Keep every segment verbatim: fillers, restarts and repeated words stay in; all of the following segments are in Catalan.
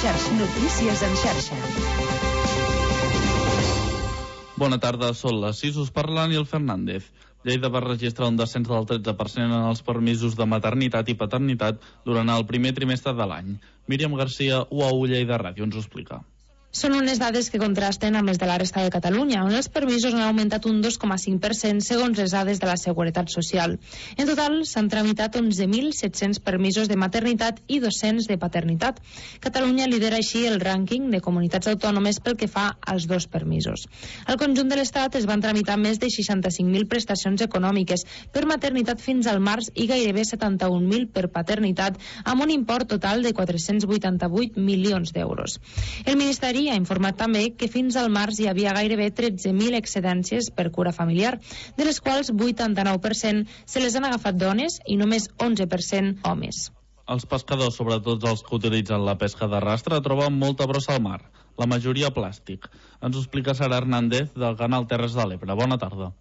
xarxa. Notícies en xarxa. Bona tarda, són les sis, us parlen i el Fernández. Lleida va registrar un descens del tretze per cent en els permisos de maternitat i paternitat durant el primer trimestre de l'any. Míriam Garcia, U A U Lleida Ràdio, ens ho explica. Són unes dades que contrasten amb les de la resta de Catalunya, on els permisos han augmentat un dos coma cinc per cent segons les dades de la Seguretat Social. En total, s'han tramitat onze mil set-cents permisos de maternitat i dos-cents de paternitat. Catalunya lidera així el rànquing de comunitats autònomes pel que fa als dos permisos. Al conjunt de l'Estat es van tramitar més de seixanta-cinc mil prestacions econòmiques per maternitat fins al març i gairebé setanta-un mil per paternitat, amb un import total de quatre-cents vuitanta-vuit milions d'euros. El Ministeri ha informat també que fins al març hi havia gairebé tretze mil excedències per cura familiar, de les quals vuitanta-nou per cent se les han agafat dones i només onze per cent homes. Els pescadors, sobretot els que utilitzen la pesca d'arrastre, troben molta brossa al mar, la majoria plàstic. Ens ho explica Sara Hernández del canal Terres de l'Ebre. Bona tarda.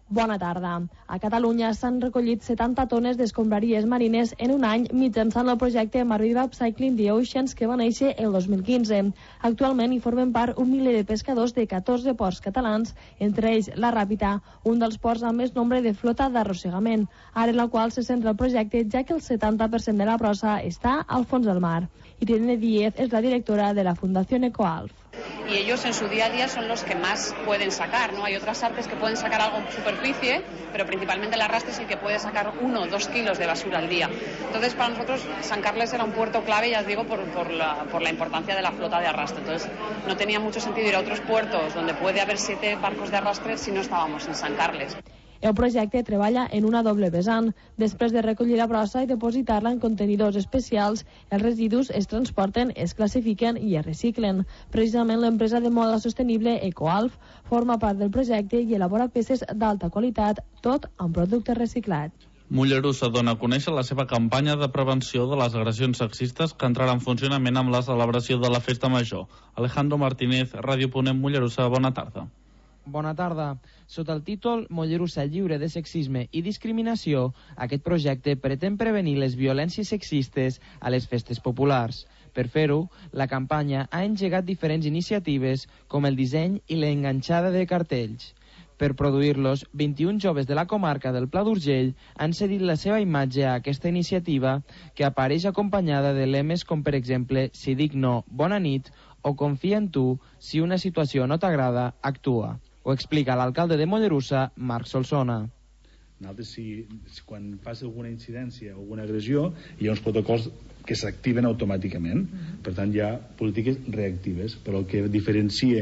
Bona tarda. A Catalunya s'han recollit setanta tones d'escombraries marines en un any mitjançant el projecte Marriba Upcycling the Oceans que va néixer el dos mil quinze. Actualment hi formen part un miler de pescadors de catorze ports catalans, entre ells la Ràpita, un dels ports amb més nombre de flota d'arrossegament, ara en la qual se centra el projecte ja que el setanta per cent de la brossa està al fons del mar. Irene Díez es la directora de la Fundación Ecoalf. Y ellos en su día a día son los que más pueden sacar, ¿no? Hay otras artes que pueden sacar algo en superficie, pero principalmente el arrastre es el que puede sacar uno o dos kilos de basura al día. Entonces, para nosotros, San Carles era un puerto clave, ya os digo, por, por, la, por la importancia de la flota de arrastre. Entonces, no tenía mucho sentido ir a otros puertos donde puede haber siete barcos de arrastre si no estábamos en San Carles. El projecte treballa en una doble vessant. Després de recollir la brossa i depositar-la en contenidors especials, els residus es transporten, es classifiquen i es reciclen. Precisament l'empresa de moda sostenible Ecoalf forma part del projecte i elabora peces d'alta qualitat, tot amb productes reciclats. Mollerussa dona a conèixer la seva campanya de prevenció de les agressions sexistes que entrarà en funcionament amb la celebració de la Festa Major. Alejandro Martínez, Ràdio Ponent, Mollerussa, bona tarda. Bona tarda. Sota el títol Mollerussa lliure de sexisme i discriminació, aquest projecte pretén prevenir les violències sexistes a les festes populars. Per fer-ho, la campanya ha engegat diferents iniciatives com el disseny i l'enganxada de cartells. Per produir-los, vint-i-un joves de la comarca del Pla d'Urgell han cedit la seva imatge a aquesta iniciativa que apareix acompanyada de lemes com, per exemple, si dic no, bona nit, o confia en tu, si una situació no t'agrada, actua. Ho explica l'alcalde de Mollerussa, Marc Solsona. Nosaltres, si, si quan passa alguna incidència o alguna agressió, hi ha uns protocols que s'activen automàticament. Per tant, hi ha polítiques reactives, però el que diferencia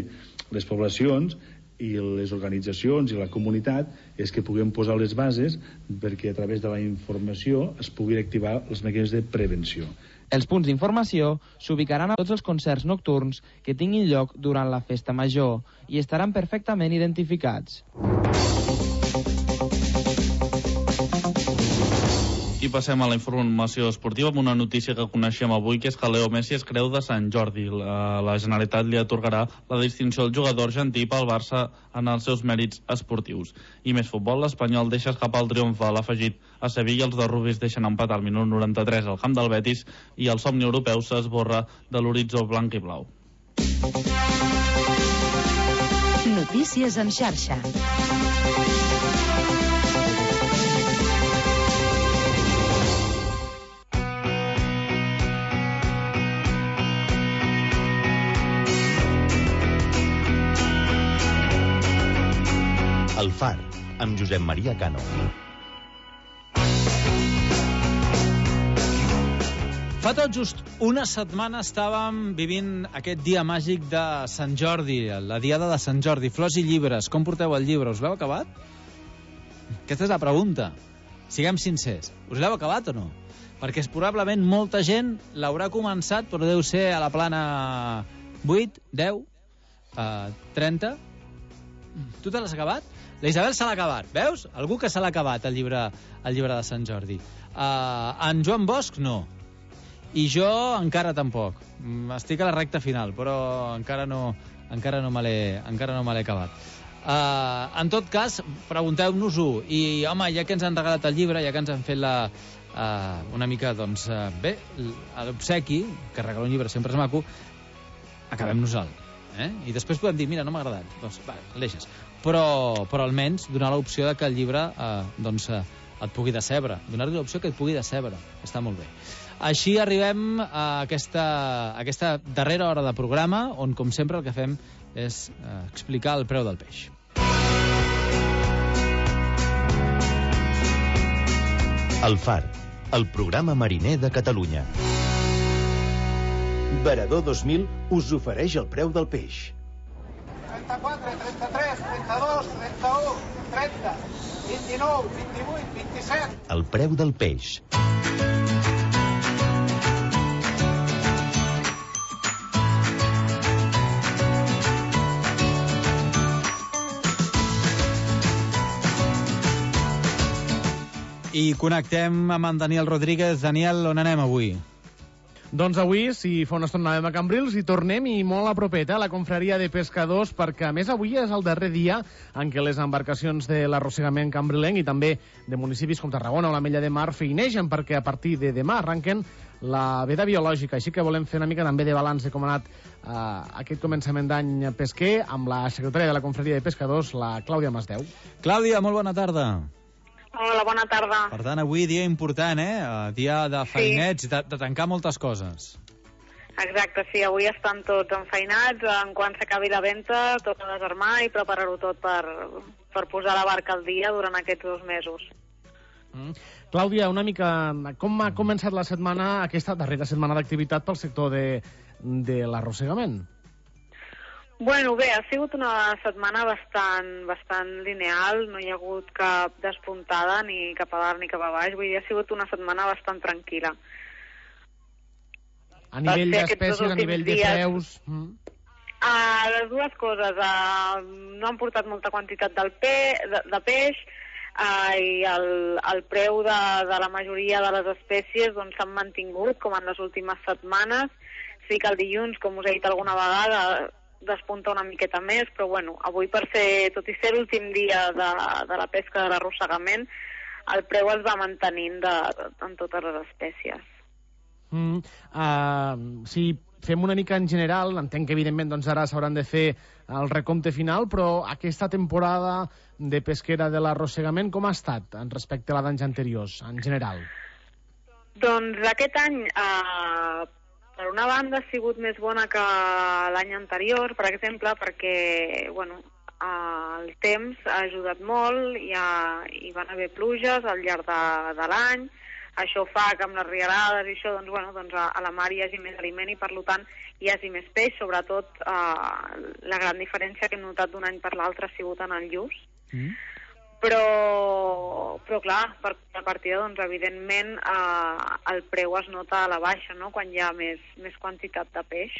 les poblacions i les organitzacions i la comunitat és que puguem posar les bases perquè a través de la informació es puguin activar els mecanismes de prevenció. Els punts d'informació s'ubicaran a tots els concerts nocturns que tinguin lloc durant la festa major i estaran perfectament identificats. I passem a la informació esportiva amb una notícia que coneixem avui, que és que Leo Messi es creu de Sant Jordi. La, la Generalitat li atorgarà la distinció al jugador argentí pel Barça en els seus mèrits esportius. I més futbol, l'Espanyol deixa escapar el triomf a l'afegit a Sevilla, els de Rubis deixen empatar al minut noranta-tres al camp del Betis i el somni europeu s'esborra de l'horitzó blanc i blau. Notícies en xarxa. El Far, amb Josep Maria Cano. Fa tot just una setmana estàvem vivint aquest dia màgic de Sant Jordi, la diada de Sant Jordi, flors i llibres. Com porteu el llibre? Us l'heu acabat? Aquesta és la pregunta. Siguem sincers. Us l'heu acabat o no? Perquè és probablement molta gent l'haurà començat, però deu ser a la plana vuit, deu, trenta. Tu te l'has acabat? La Isabel se l'ha acabat, veus? Algú que se l'ha acabat, el llibre, el llibre de Sant Jordi. Uh, en Joan Bosch, no. I jo encara tampoc. Estic a la recta final, però encara no, encara no me l'he encara no me l'he acabat. Uh, en tot cas, pregunteu-nos-ho. I, home, ja que ens han regalat el llibre, ja que ens han fet la, uh, una mica, doncs, uh, bé, l'obsequi, que regalar un llibre sempre és maco, acabem-nos-el. Eh? I després podem dir, mira, no m'ha agradat. Doncs, va, el deixes. Però, però almenys donar l'opció de que el llibre uh, doncs, uh, et pugui decebre. Donar-li l'opció que et pugui decebre. Està molt bé. Així arribem a aquesta, a aquesta darrera hora de programa, on, com sempre, el que fem és eh, explicar el preu del peix. El Far, el programa mariner de Catalunya. Varador dos mil us ofereix el preu del peix. trenta-quatre, trenta-tres, trenta-dos, trenta-u, trenta, vint-i-nou, vint-i-vuit, vint-i-set... El preu del peix. I connectem amb en Daniel Rodríguez. Daniel, on anem avui? Doncs avui, si fa una estona anàvem a Cambrils, i tornem i molt a propet, a la confraria de pescadors, perquè a més avui és el darrer dia en què les embarcacions de l'arrossegament cambrilenc i també de municipis com Tarragona o la Mella de Mar feinegen, perquè a partir de demà arrenquen la veda biològica. Així que volem fer una mica també de balanç de com ha anat uh, aquest començament d'any pesquer amb la secretària de la confraria de pescadors, la Clàudia Masdeu. Clàudia, molt bona tarda. Hola, bona tarda. Per tant, avui dia important, eh? Dia de feinets, sí. de, de tancar moltes coses. Exacte, sí, avui estan tots enfeinats, en quan s'acabi la venta, tot a desarmar i preparar-ho tot per, per posar la barca al dia durant aquests dos mesos. Mm. Clàudia, una mica, com ha començat la setmana, aquesta darrera setmana d'activitat pel sector de, de l'arrossegament? Bueno, bé, ha sigut una setmana bastant, bastant lineal, no hi ha hagut cap despuntada ni cap a dalt ni cap a baix, vull dir, ha sigut una setmana bastant tranquil·la. A nivell d'espècies, a nivell de preus... Mm. Uh, les dues coses, uh, no han portat molta quantitat del pe, de, de peix, uh, i el, el preu de, de la majoria de les espècies doncs s'han mantingut, com en les últimes setmanes. Sí que el dilluns, com us he dit alguna vegada, despunta una miqueta més, però bueno, avui per ser, tot i ser l'últim dia de, de la pesca de l'arrossegament, el preu es va mantenint de, de, en totes les espècies. Mm, uh, si fem una mica en general, entenc que evidentment doncs ara s'hauran de fer el recompte final, però aquesta temporada de pesquera de l'arrossegament com ha estat en respecte a la d'anys anteriors, en general? Doncs aquest any... Uh, Per una banda ha sigut més bona que l'any anterior, per exemple, perquè bueno, el temps ha ajudat molt, hi, ha, hi van haver pluges al llarg de, de l'any, això fa que amb les rialades i això, doncs, bueno, doncs a, a la mar hi hagi més aliment i per tant hi hagi més peix, sobretot eh, la gran diferència que hem notat d'un any per l'altre ha sigut en el lluç. Mm. Però, però clar, per la partida, doncs, evidentment, eh, el preu es nota a la baixa, no?, quan hi ha més, més quantitat de peix.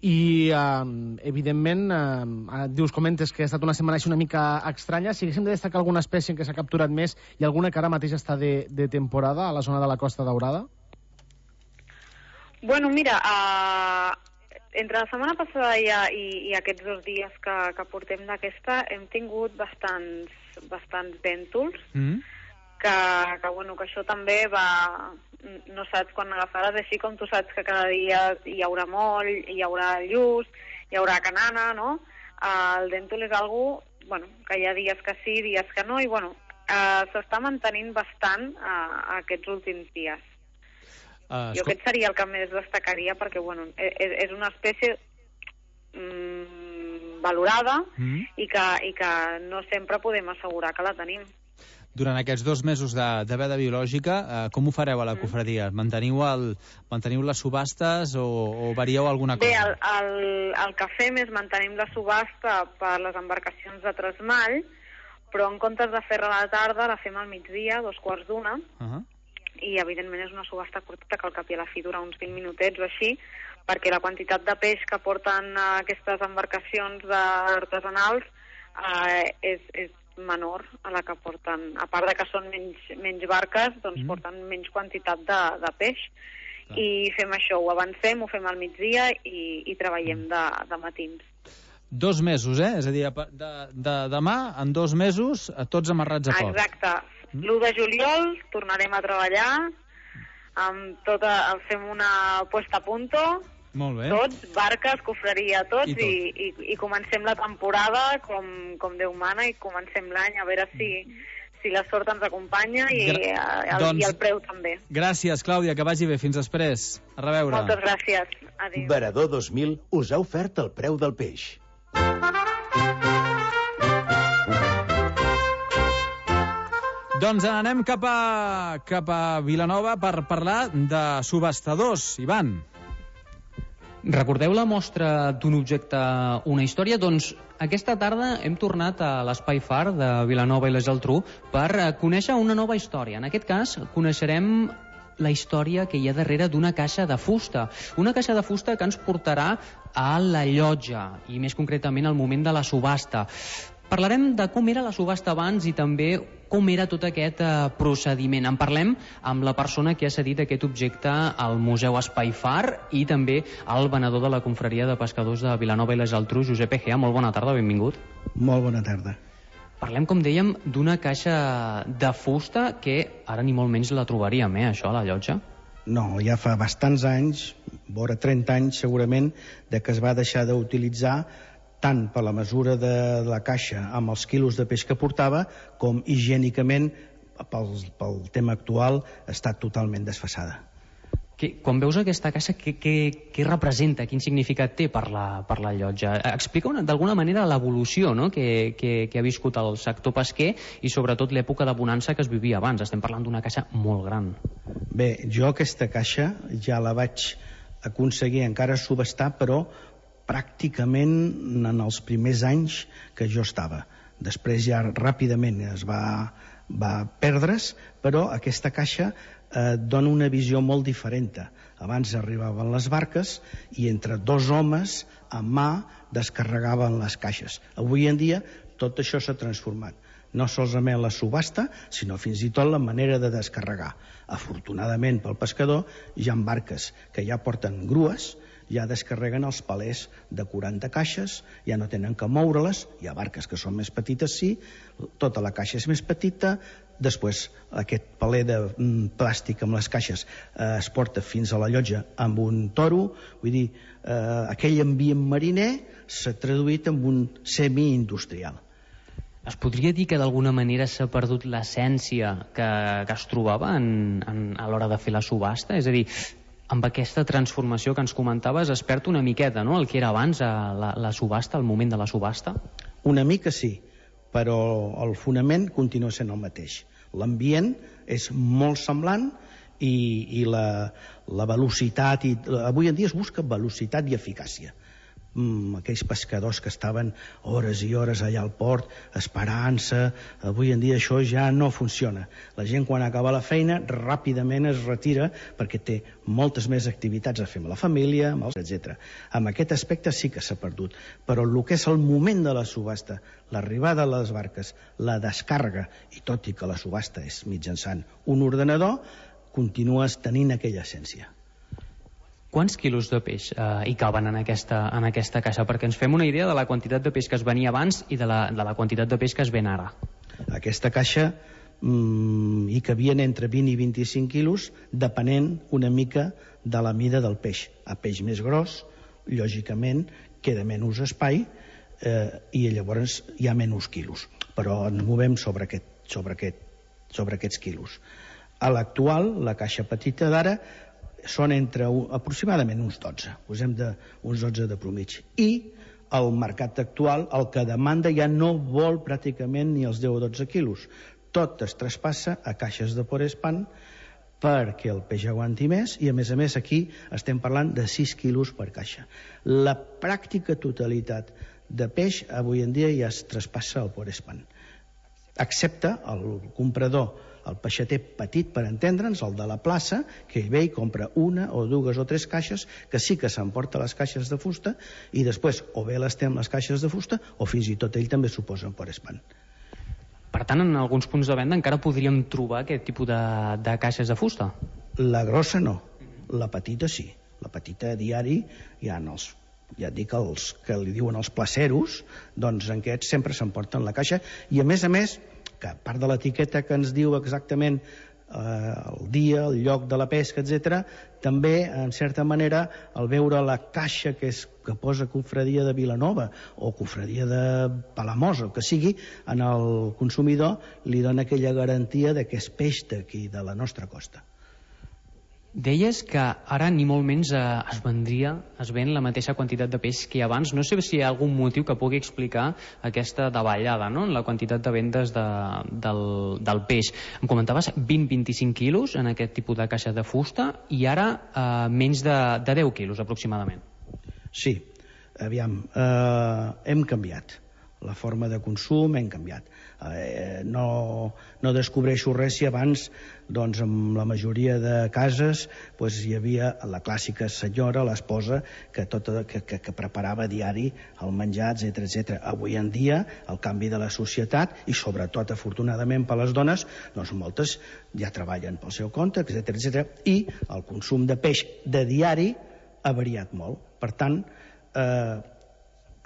I, eh, evidentment, eh, dius, comentes que ha estat una setmana així una mica estranya. Si haguéssim de destacar alguna espècie en què s'ha capturat més i alguna que ara mateix està de, de temporada a la zona de la Costa Daurada? Bueno, mira, eh, entre la setmana passada i, i, i aquests dos dies que, que portem d'aquesta hem tingut bastants, bastants vèntols, mm. que, que, bueno, que això també va... No saps quan agafaràs, així com tu saps que cada dia hi haurà moll, hi haurà lluç, hi haurà canana, no? El vèntol és algo, bueno, que hi ha dies que sí, dies que no, i bueno, eh, s'està mantenint bastant eh, aquests últims dies. Uh, jo aquest seria el que més destacaria perquè bueno, és, és una espècie mm, valorada mm. i, que, i que no sempre podem assegurar que la tenim. Durant aquests dos mesos de, de veda biològica, eh, com ho fareu a la cofradia? Manteniu, el, manteniu les subhastes o, o varieu alguna cosa? Bé, el, el, el que fem és mantenim la subhasta per les embarcacions de tresmall, però en comptes de fer-la a la tarda la fem al migdia, dos quarts d'una, uh -huh. i evidentment és una subhasta curteta que al cap i a la fi dura uns vint minutets o així, perquè la quantitat de peix que porten uh, aquestes embarcacions artesanals uh, és, és menor a la que porten, a part de que són menys, menys barques, doncs mm. porten menys quantitat de, de peix. Ah. I fem això, ho avancem, ho fem al migdia i, i treballem de, de matins. Dos mesos, eh? És a dir, de, de demà, en dos mesos, tots amarrats a port. Exacte. l'u de juliol tornarem a treballar, amb tota, fem una puesta a punto, molt bé. Tots, barques, cofreria, tots, I, tot. i, i, i comencem la temporada com, com Déu mana, i comencem l'any a veure si, si la sort ens acompanya i, Gra el, doncs, i el preu també. Gràcies, Clàudia, que vagi bé. Fins després. A reveure. Moltes gràcies. Adéu. Varador dos mil us ha ofert el preu del peix. Doncs anem cap a, cap a Vilanova per parlar de subhastadors. Ivan. Recordeu la mostra d'un objecte, una història? Doncs aquesta tarda hem tornat a l'Espai Far de Vilanova i la Geltrú per conèixer una nova història. En aquest cas, coneixerem la història que hi ha darrere d'una caixa de fusta. Una caixa de fusta que ens portarà a la llotja, i més concretament al moment de la subhasta. Parlarem de com era la subhasta abans i també com era tot aquest eh, procediment. En parlem amb la persona que ha cedit aquest objecte al Museu Espai Far i també al venedor de la confraria de pescadors de Vilanova i la Geltrú, Josep Egea. Molt bona tarda, benvingut. Molt bona tarda. Parlem, com dèiem, d'una caixa de fusta que ara ni molt menys la trobaríem, eh, això, a la llotja? No, ja fa bastants anys, vora trenta anys segurament, de que es va deixar d'utilitzar tant per la mesura de la caixa amb els quilos de peix que portava, com higiènicament, pel, pel tema actual, està totalment desfasada. Que, quan veus aquesta caixa, què, què, què representa, quin significat té per la, per la llotja? Explica d'alguna manera l'evolució, no?, que, que, que ha viscut el sector pesquer i sobretot l'època de bonança que es vivia abans. Estem parlant d'una caixa molt gran. Bé, jo aquesta caixa ja la vaig aconseguir encara subhastar, però pràcticament en els primers anys que jo estava. Després ja ràpidament es va, va perdre's, però aquesta caixa eh, dona una visió molt diferent. Abans arribaven les barques i entre dos homes a mà descarregaven les caixes. Avui en dia tot això s'ha transformat. No solament la subhasta, sinó fins i tot la manera de descarregar. Afortunadament pel pescador hi ha barques que ja porten grues, ja descarreguen els palers de quaranta caixes, ja no tenen que moure-les. Hi ha barques que són més petites, sí, tota la caixa és més petita, després aquest paler de mm, plàstic amb les caixes eh, es porta fins a la llotja amb un toro, vull dir, eh, aquell ambient mariner s'ha traduït en un semi-industrial. Es podria dir que d'alguna manera s'ha perdut l'essència que, que es trobava en, en, a l'hora de fer la subhasta? És a dir, amb aquesta transformació que ens comentaves es perd una miqueta, no?, el que era abans a la, la subhasta, al moment de la subhasta? Una mica sí, però el fonament continua sent el mateix. L'ambient és molt semblant i, i la, la velocitat, i, avui en dia es busca velocitat i eficàcia. Mm, aquells pescadors que estaven hores i hores allà al port esperant-se, avui en dia això ja no funciona. La gent quan acaba la feina ràpidament es retira perquè té moltes més activitats a fer amb la família, etcètera. Amb aquest aspecte sí que s'ha perdut, però el que és el moment de la subhasta, l'arribada a les barques, la descàrrega, i tot i que la subhasta és mitjançant un ordenador, continues tenint aquella essència. Quants quilos de peix eh, hi caben en aquesta, en aquesta caixa? Perquè ens fem una idea de la quantitat de peix que es venia abans i de la, de la quantitat de peix que es ven ara. Aquesta caixa mm, hi cabien entre vint i vint-i-cinc quilos, depenent una mica de la mida del peix. A peix més gros, lògicament, queda menys espai eh, i llavors hi ha menys quilos. Però ens movem sobre, aquest, sobre, aquest, sobre aquests quilos. A l'actual, la caixa petita d'ara, són entre aproximadament uns dotze, posem de, uns dotze de promig. I el mercat actual, el que demanda, ja no vol pràcticament ni els deu o dotze quilos. Tot es traspassa a caixes de Porespan perquè el peix aguanti més, i a més a més aquí estem parlant de sis quilos per caixa. La pràctica totalitat de peix avui en dia ja es traspassa al Porespan, excepte el comprador, el peixater petit, per entendre'ns, el de la plaça, que ell ve i compra una o dues o tres caixes, que sí que s'emporta les caixes de fusta, i després o bé les té amb les caixes de fusta o fins i tot ell també s'ho posa en Porespan. Per tant, en alguns punts de venda encara podríem trobar aquest tipus de, de caixes de fusta? La grossa no, la petita sí. La petita a diari hi ha els ja et dic, els que li diuen els placeros, doncs en aquests sempre s'emporten la caixa, i a més a més, que a part de l'etiqueta que ens diu exactament eh, el dia, el lloc de la pesca, etcètera, també, en certa manera, al veure la caixa que, és, que posa Confraria de Vilanova o Confraria de Palamós, o que sigui, en el consumidor li dona aquella garantia de que és peix d'aquí, de la nostra costa. Deies que ara ni molt menys eh, es vendria, es ven la mateixa quantitat de peix que abans. No sé si hi ha algun motiu que pugui explicar aquesta davallada, no?, en la quantitat de vendes de, del, del peix. Em comentaves vint a vint-i-cinc quilos en aquest tipus de caixa de fusta i ara eh, menys de, de deu quilos aproximadament. Sí, aviam, eh, hem canviat. La forma de consum hem canviat. Eh, no, no descobreixo res si abans, doncs, en la majoria de cases doncs, hi havia la clàssica senyora, l'esposa, que, tota, que, que, que preparava diari el menjar, etcètera, etcètera. Avui en dia, el canvi de la societat, i sobretot, afortunadament, per les dones, doncs moltes ja treballen pel seu compte, etcètera, etcètera, i el consum de peix de diari ha variat molt. Per tant, eh,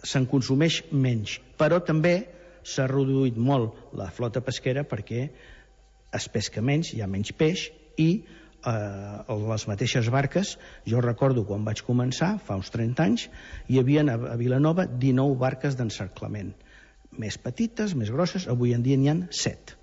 se'n consumeix menys, però també s'ha reduït molt la flota pesquera perquè es pesca menys, hi ha menys peix i eh, les mateixes barques, jo recordo quan vaig començar, fa uns trenta anys, hi havia a Vilanova dinou barques d'encerclament, més petites, més grosses, avui en dia n'hi ha set.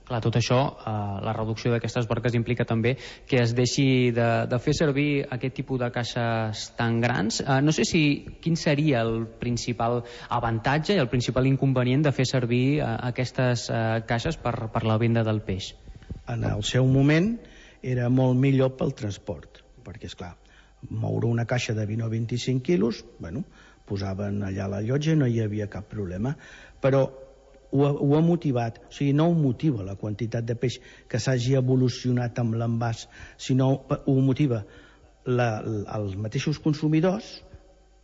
Clar, tot això, eh, la reducció d'aquestes barques implica també que es deixi de, de fer servir aquest tipus de caixes tan grans. Eh, no sé si quin seria el principal avantatge i el principal inconvenient de fer servir eh, aquestes eh, caixes per, per la venda del peix. En el seu moment era molt millor pel transport, perquè, esclar, moure una caixa de vint o vint-i-cinc quilos, bueno, posaven allà la llotja i no hi havia cap problema, però Ho ha, ho ha motivat, o sigui, no ho motiva la quantitat de peix que s'hagi evolucionat amb l'envàs, sinó ho motiva la, els mateixos consumidors,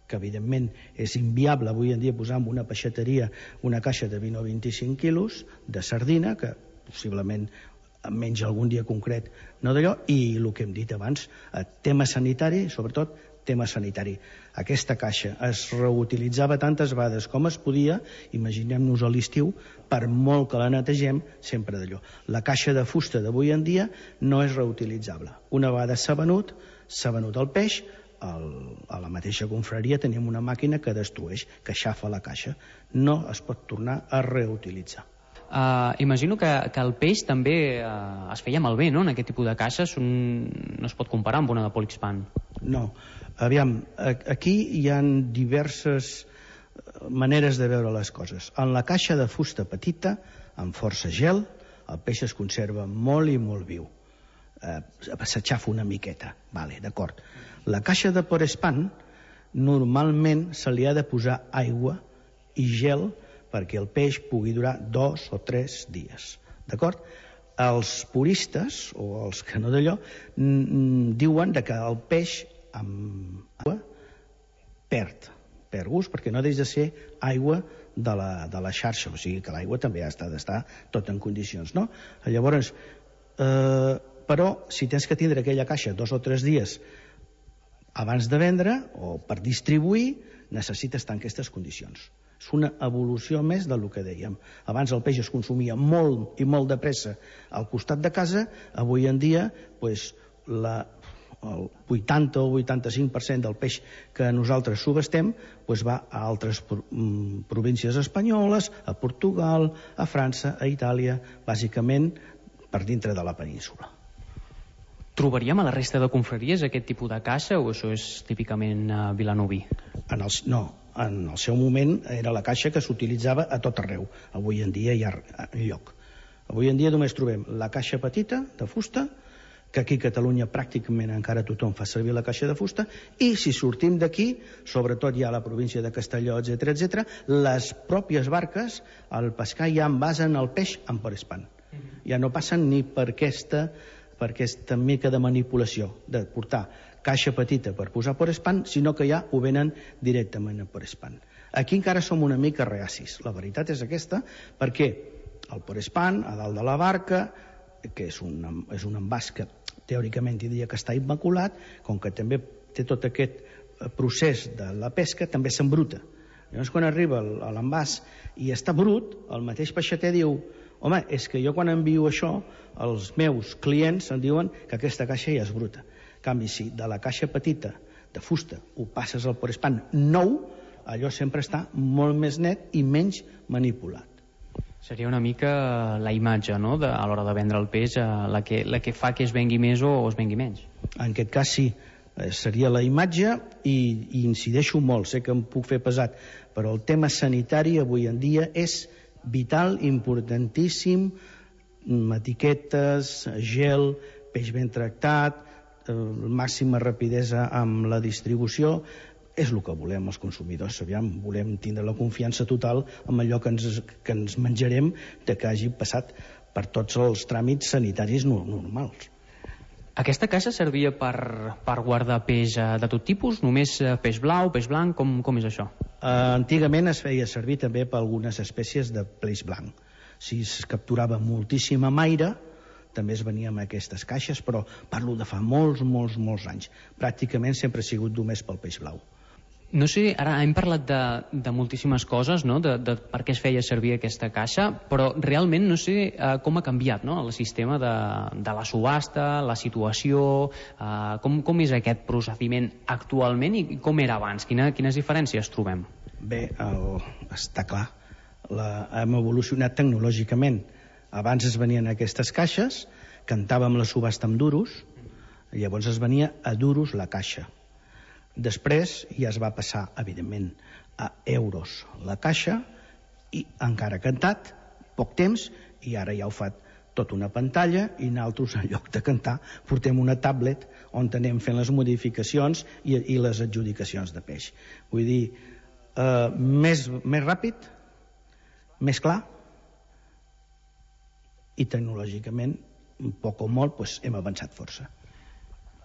que evidentment és inviable avui en dia posar en una peixateria una caixa de vint o vint-i-cinc quilos de sardina, que possiblement menys algun dia concret no d'allò, i el que hem dit abans, tema sanitari, sobretot tema sanitari. Aquesta caixa es reutilitzava tantes vegades com es podia, imaginem-nos a l'estiu, per molt que la netegem, sempre d'allò. La caixa de fusta d'avui en dia no és reutilitzable. Una vegada s'ha venut, s'ha venut el peix, el, a la mateixa confraria tenim una màquina que destrueix, que aixafa la caixa. No es pot tornar a reutilitzar. Uh, imagino que, que el peix també uh, es feia malbé, no?, en aquest tipus de caixes. Un... no es pot comparar amb una de Polispan. No, aviam, aquí hi ha diverses maneres de veure les coses. En la caixa de fusta petita, amb força gel, el peix es conserva molt i molt viu. Eh, s'aixafa una miqueta, vale, d'acord. La caixa de Porespan, normalment se li ha de posar aigua i gel perquè el peix pugui durar dos o tres dies, d'acord? Els puristes, o els que no d'allò, diuen que el peix amb aigua perd, perd gust, perquè no deixa de ser aigua de la, de la xarxa, o sigui que l'aigua també ha d'estar tot en condicions, no? Llavors, eh, però si tens que tindre aquella caixa dos o tres dies abans de vendre o per distribuir, necessites estar en aquestes condicions. És una evolució més del que dèiem. Abans el peix es consumia molt i molt de pressa al costat de casa, avui en dia pues, la, el vuitanta o vuitanta-cinc per cent del peix que nosaltres subestem pues, va a altres províncies espanyoles, a Portugal, a França, a Itàlia, bàsicament per dintre de la península. Trobaríem a la resta de confraries aquest tipus de caixa o això és típicament uh, vilanoví? En els, no, en el seu moment era la caixa que s'utilitzava a tot arreu. Avui en dia hi ha lloc. Avui en dia només trobem la caixa petita de fusta, que aquí a Catalunya pràcticament encara tothom fa servir la caixa de fusta, i si sortim d'aquí, sobretot ja a la província de Castelló, etcètera, etcètera, les pròpies barques, al pescar ja envasen el peix en Porespan. Ja no passen ni per aquesta per aquesta mica de manipulació de portar caixa petita per posar Porespan, sinó que ja ho venen directament a Porespan. Aquí encara som una mica reacis, la veritat és aquesta, perquè el Porespan, a dalt de la barca, que és un, és un envàs que teòricament diria que està immaculat, com que també té tot aquest procés de la pesca també s'embruta. Llavors, quan arriba a l'envàs i està brut, el mateix peixater diu: home, és que jo quan envio això, els meus clients em diuen que aquesta caixa ja és bruta. En canvi, si de la caixa petita de fusta ho passes al porespan nou, allò sempre està molt més net i menys manipulat. Seria una mica la imatge, no?, de, a l'hora de vendre el peix, eh, la, que, la que fa que es vengui més o es vengui menys. En aquest cas sí, eh, seria la imatge i, i incideixo molt, sé que em puc fer pesat, però el tema sanitari avui en dia és vital, importantíssim, etiquetes, gel, peix ben tractat, eh, màxima rapidesa amb la distribució. És el que volem els consumidors. Aviam, volem tindre la confiança total en allò que ens, que ens menjarem, de que hagi passat per tots els tràmits sanitaris normals. Aquesta caixa servia per, per guardar peix de tot tipus? Només peix blau, peix blanc? Com, com és això? Uh, antigament es feia servir també per algunes espècies de peix blanc. Si es capturava moltíssima maire, també es venia amb aquestes caixes, però parlo de fa molts, molts, molts anys. Pràcticament sempre ha sigut només pel peix blau. No sé, ara hem parlat de, de moltíssimes coses, no?, de, de per què es feia servir aquesta caixa, però realment no sé eh, com ha canviat, no?, el sistema de, de la subhasta, la situació, eh, com, com és aquest procediment actualment i com era abans? Quina, quines diferències trobem? Bé, el, està clar, la, hem evolucionat tecnològicament. Abans es venien aquestes caixes, cantàvem la subhasta amb duros, llavors es venia a duros la caixa. Després ja es va passar, evidentment, a euros la caixa i encara cantat, poc temps, i ara ja ho fa tot una pantalla i nosaltres, en lloc de cantar, portem una tablet on anem fent les modificacions i, i les adjudicacions de peix. Vull dir, eh, més, més ràpid, més clar, i tecnològicament, poc o molt, doncs, hem avançat força.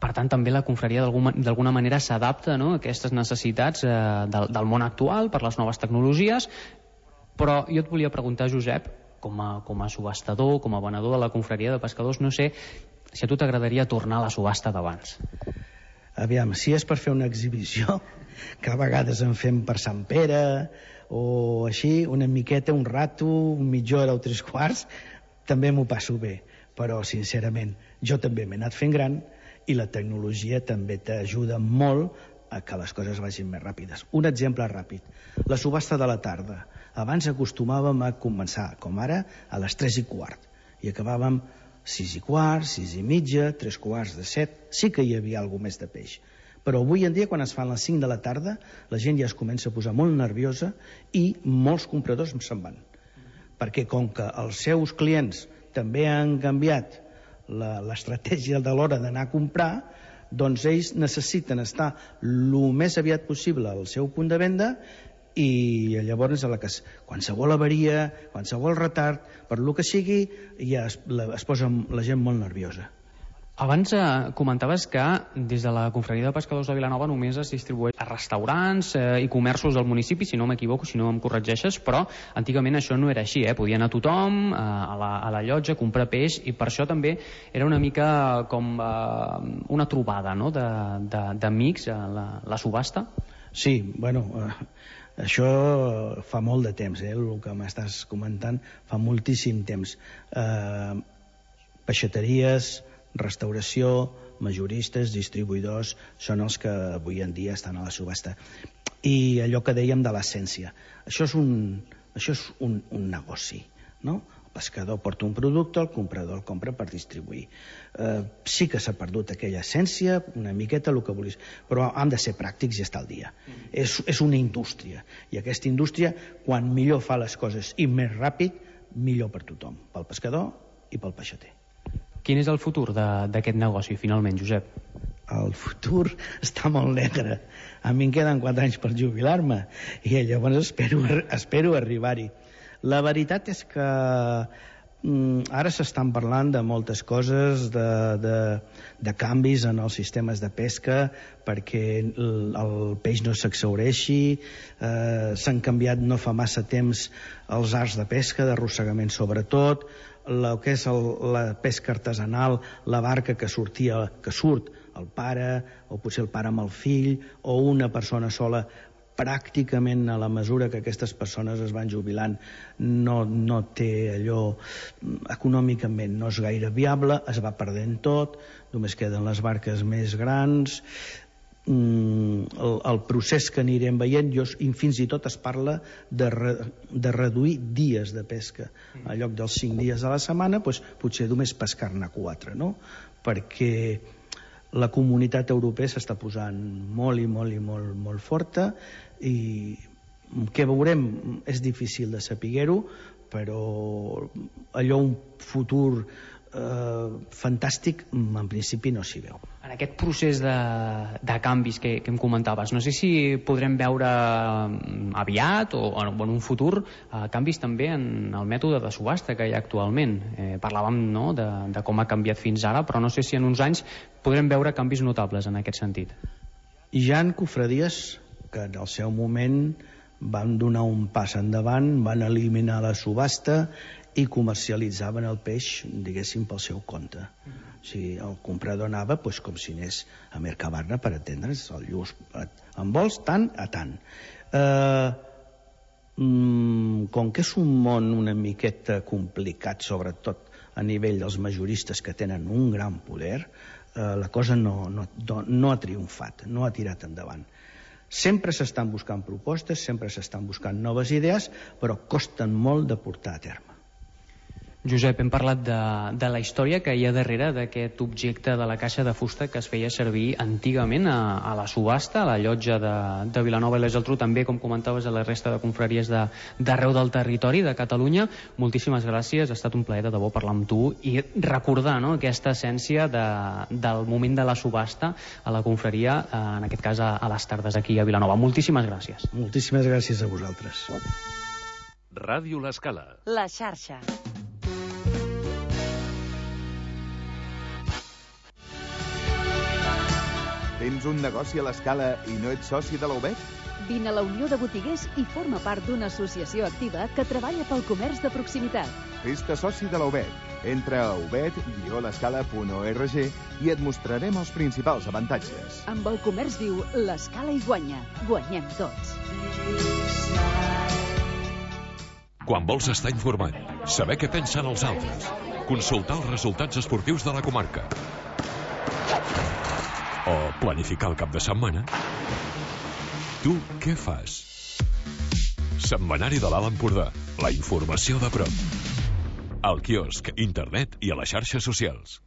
Per tant, també la confraria d'alguna manera s'adapta, no?, a aquestes necessitats eh, del, del món actual per les noves tecnologies, però jo et volia preguntar, Josep, com a, com a subhastador, com a venedor de la confraria de pescadors, no sé si a tu t'agradaria tornar a la subhasta d'abans. Aviam, si és per fer una exhibició, que a vegades en fem per Sant Pere, o així, una miqueta, un rato, mitja hora o tres quarts, també m'ho passo bé, però sincerament jo també m'he anat fent gran i la tecnologia també t'ajuda molt a que les coses vagin més ràpides. Un exemple ràpid, la subhasta de la tarda. Abans acostumàvem a començar, com ara, a les tres i quart, i acabàvem sis i quart, sis i mitja, tres quarts de set, sí que hi havia alguna més de peix. Però avui en dia, quan es fan les cinc de la tarda, la gent ja es comença a posar molt nerviosa i molts compradors se'n van. Perquè com que els seus clients també han canviat l'estratègia de l'hora d'anar a comprar, doncs ells necessiten estar el més aviat possible al seu punt de venda i llavors a la que qualsevol avaria, qualsevol retard, per lo que sigui, ja es, la, es posa la gent molt nerviosa. Abans eh, comentaves que des de la confraria de pescadors de Vilanova només es distribueix a restaurants eh, i comerços del municipi, si no m'equivoco, si no em corregeixes, però antigament això no era així, eh? Podia anar tothom eh, a, la, a la llotja, comprar peix, i per això també era una mica com eh, una trobada, no?, d'amics, eh, la, la subhasta. Sí, bueno, eh, això fa molt de temps, eh, el que m'estàs comentant, fa moltíssim temps. Eh, peixateries, restauració, majoristes, distribuïdors, són els que avui en dia estan a la subhasta. I allò que dèiem de l'essència, això és un, això és un, un negoci, no? El pescador porta un producte, el comprador el compra per distribuir. Eh, sí que s'ha perdut aquella essència, una miqueta, el que vulguis, però hem de ser pràctics i estar al dia. Mm. És, és una indústria, i aquesta indústria, quan millor fa les coses i més ràpid, millor per tothom, pel pescador i pel peixater. Quin és el futur d'aquest negoci, finalment, Josep? El futur està molt negre. A mi em queden quatre anys per jubilar-me i llavors espero, espero arribar-hi. La veritat és que mm, ara s'estan parlant de moltes coses, de, de, de canvis en els sistemes de pesca perquè el, el peix no s'exhaureixi, eh, s'han canviat no fa massa temps els arts de pesca, d'arrossegament sobretot, el que és el, la pesca artesanal, la barca que sortia, que surt el pare, o potser el pare amb el fill, o una persona sola. Pràcticament a la mesura que aquestes persones es van jubilant no, no té allò, econòmicament no és gaire viable, es va perdent tot, només queden les barques més grans. Mm, el, el procés que anirem veient, jo, fins i tot es parla de, re, de reduir dies de pesca. En lloc dels cinc dies a la setmana, doncs, potser només pescar-ne quatre, no? Perquè la comunitat europea s'està posant molt i molt i molt, molt forta, i què veurem és difícil de saber-ho, però allò un futur eh, fantàstic en principi no s'hi veu. En aquest procés de, de canvis que, que em comentaves, no sé si podrem veure aviat o, o en un futur eh, canvis també en el mètode de subhasta que hi ha actualment. Eh, parlàvem, no, de, de com ha canviat fins ara, però no sé si en uns anys podrem veure canvis notables en aquest sentit. Hi ha cofradies que en el seu moment van donar un pas endavant, van eliminar la subhasta i comercialitzaven el peix, diguéssim, pel seu compte. O sigui, el comprador anava doncs, com si anés a Mercabarna, per entendre's, el lluç, en vols tant a tant. Eh, mm, com que és un món una miqueta complicat, sobretot a nivell dels majoristes que tenen un gran poder, eh, la cosa no, no, no ha triomfat, no ha tirat endavant. Sempre s'estan buscant propostes, sempre s'estan buscant noves idees, però costen molt de portar a terme. Josep, hem parlat de, de la història que hi ha darrere d'aquest objecte de la caixa de fusta que es feia servir antigament a, a la subhasta, a la llotja de, de Vilanova i la Geltrú, també, com comentaves, a la resta de confraries d'arreu del territori de Catalunya. Moltíssimes gràcies, ha estat un plaer de debò parlar amb tu i recordar, no, aquesta essència de, del moment de la subhasta a la confraria, en aquest cas a, a les tardes aquí a Vilanova. Moltíssimes gràcies. Moltíssimes gràcies a vosaltres. Ràdio L'Escala. La xarxa. Tens un negoci a l'Escala i no ets soci de la U B E T? Vine a la Unió de Botiguers i forma part d'una associació activa que treballa pel comerç de proximitat. Fes-te soci de la U B E T. Entra a ubet guió l'escala punt org i et mostrarem els principals avantatges. Amb el comerç viu, l'Escala hi guanya. Guanyem tots. Quan vols estar informat, saber què pensen els altres, consultar els resultats esportius de la comarca o planificar el cap de setmana, tu què fas? Setmanari de l'Alt Empordà, la informació de prop. Al quiosc, internet i a les xarxes socials.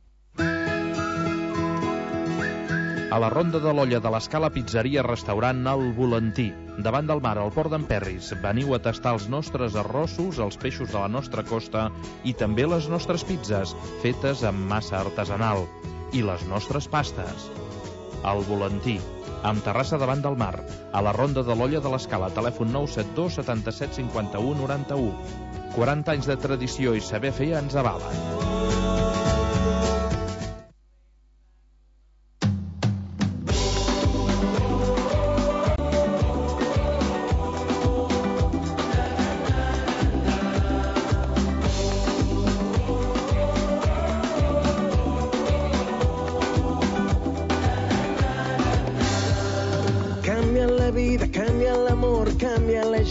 A la Ronda de l'Olla de l'Escala, pizzeria restaurant El Volantí. Davant del mar, al port d'Emperris. Veniu a tastar els nostres arrossos, els peixos de la nostra costa i també les nostres pizzas, fetes amb massa artesanal. I les nostres pastes. El Volantí, amb terrassa davant del mar, a la Ronda de l'Olla de l'Escala, telèfon nou set dos setanta-set cinquanta-u noranta-u. quaranta anys de tradició i saber fer ens avalen.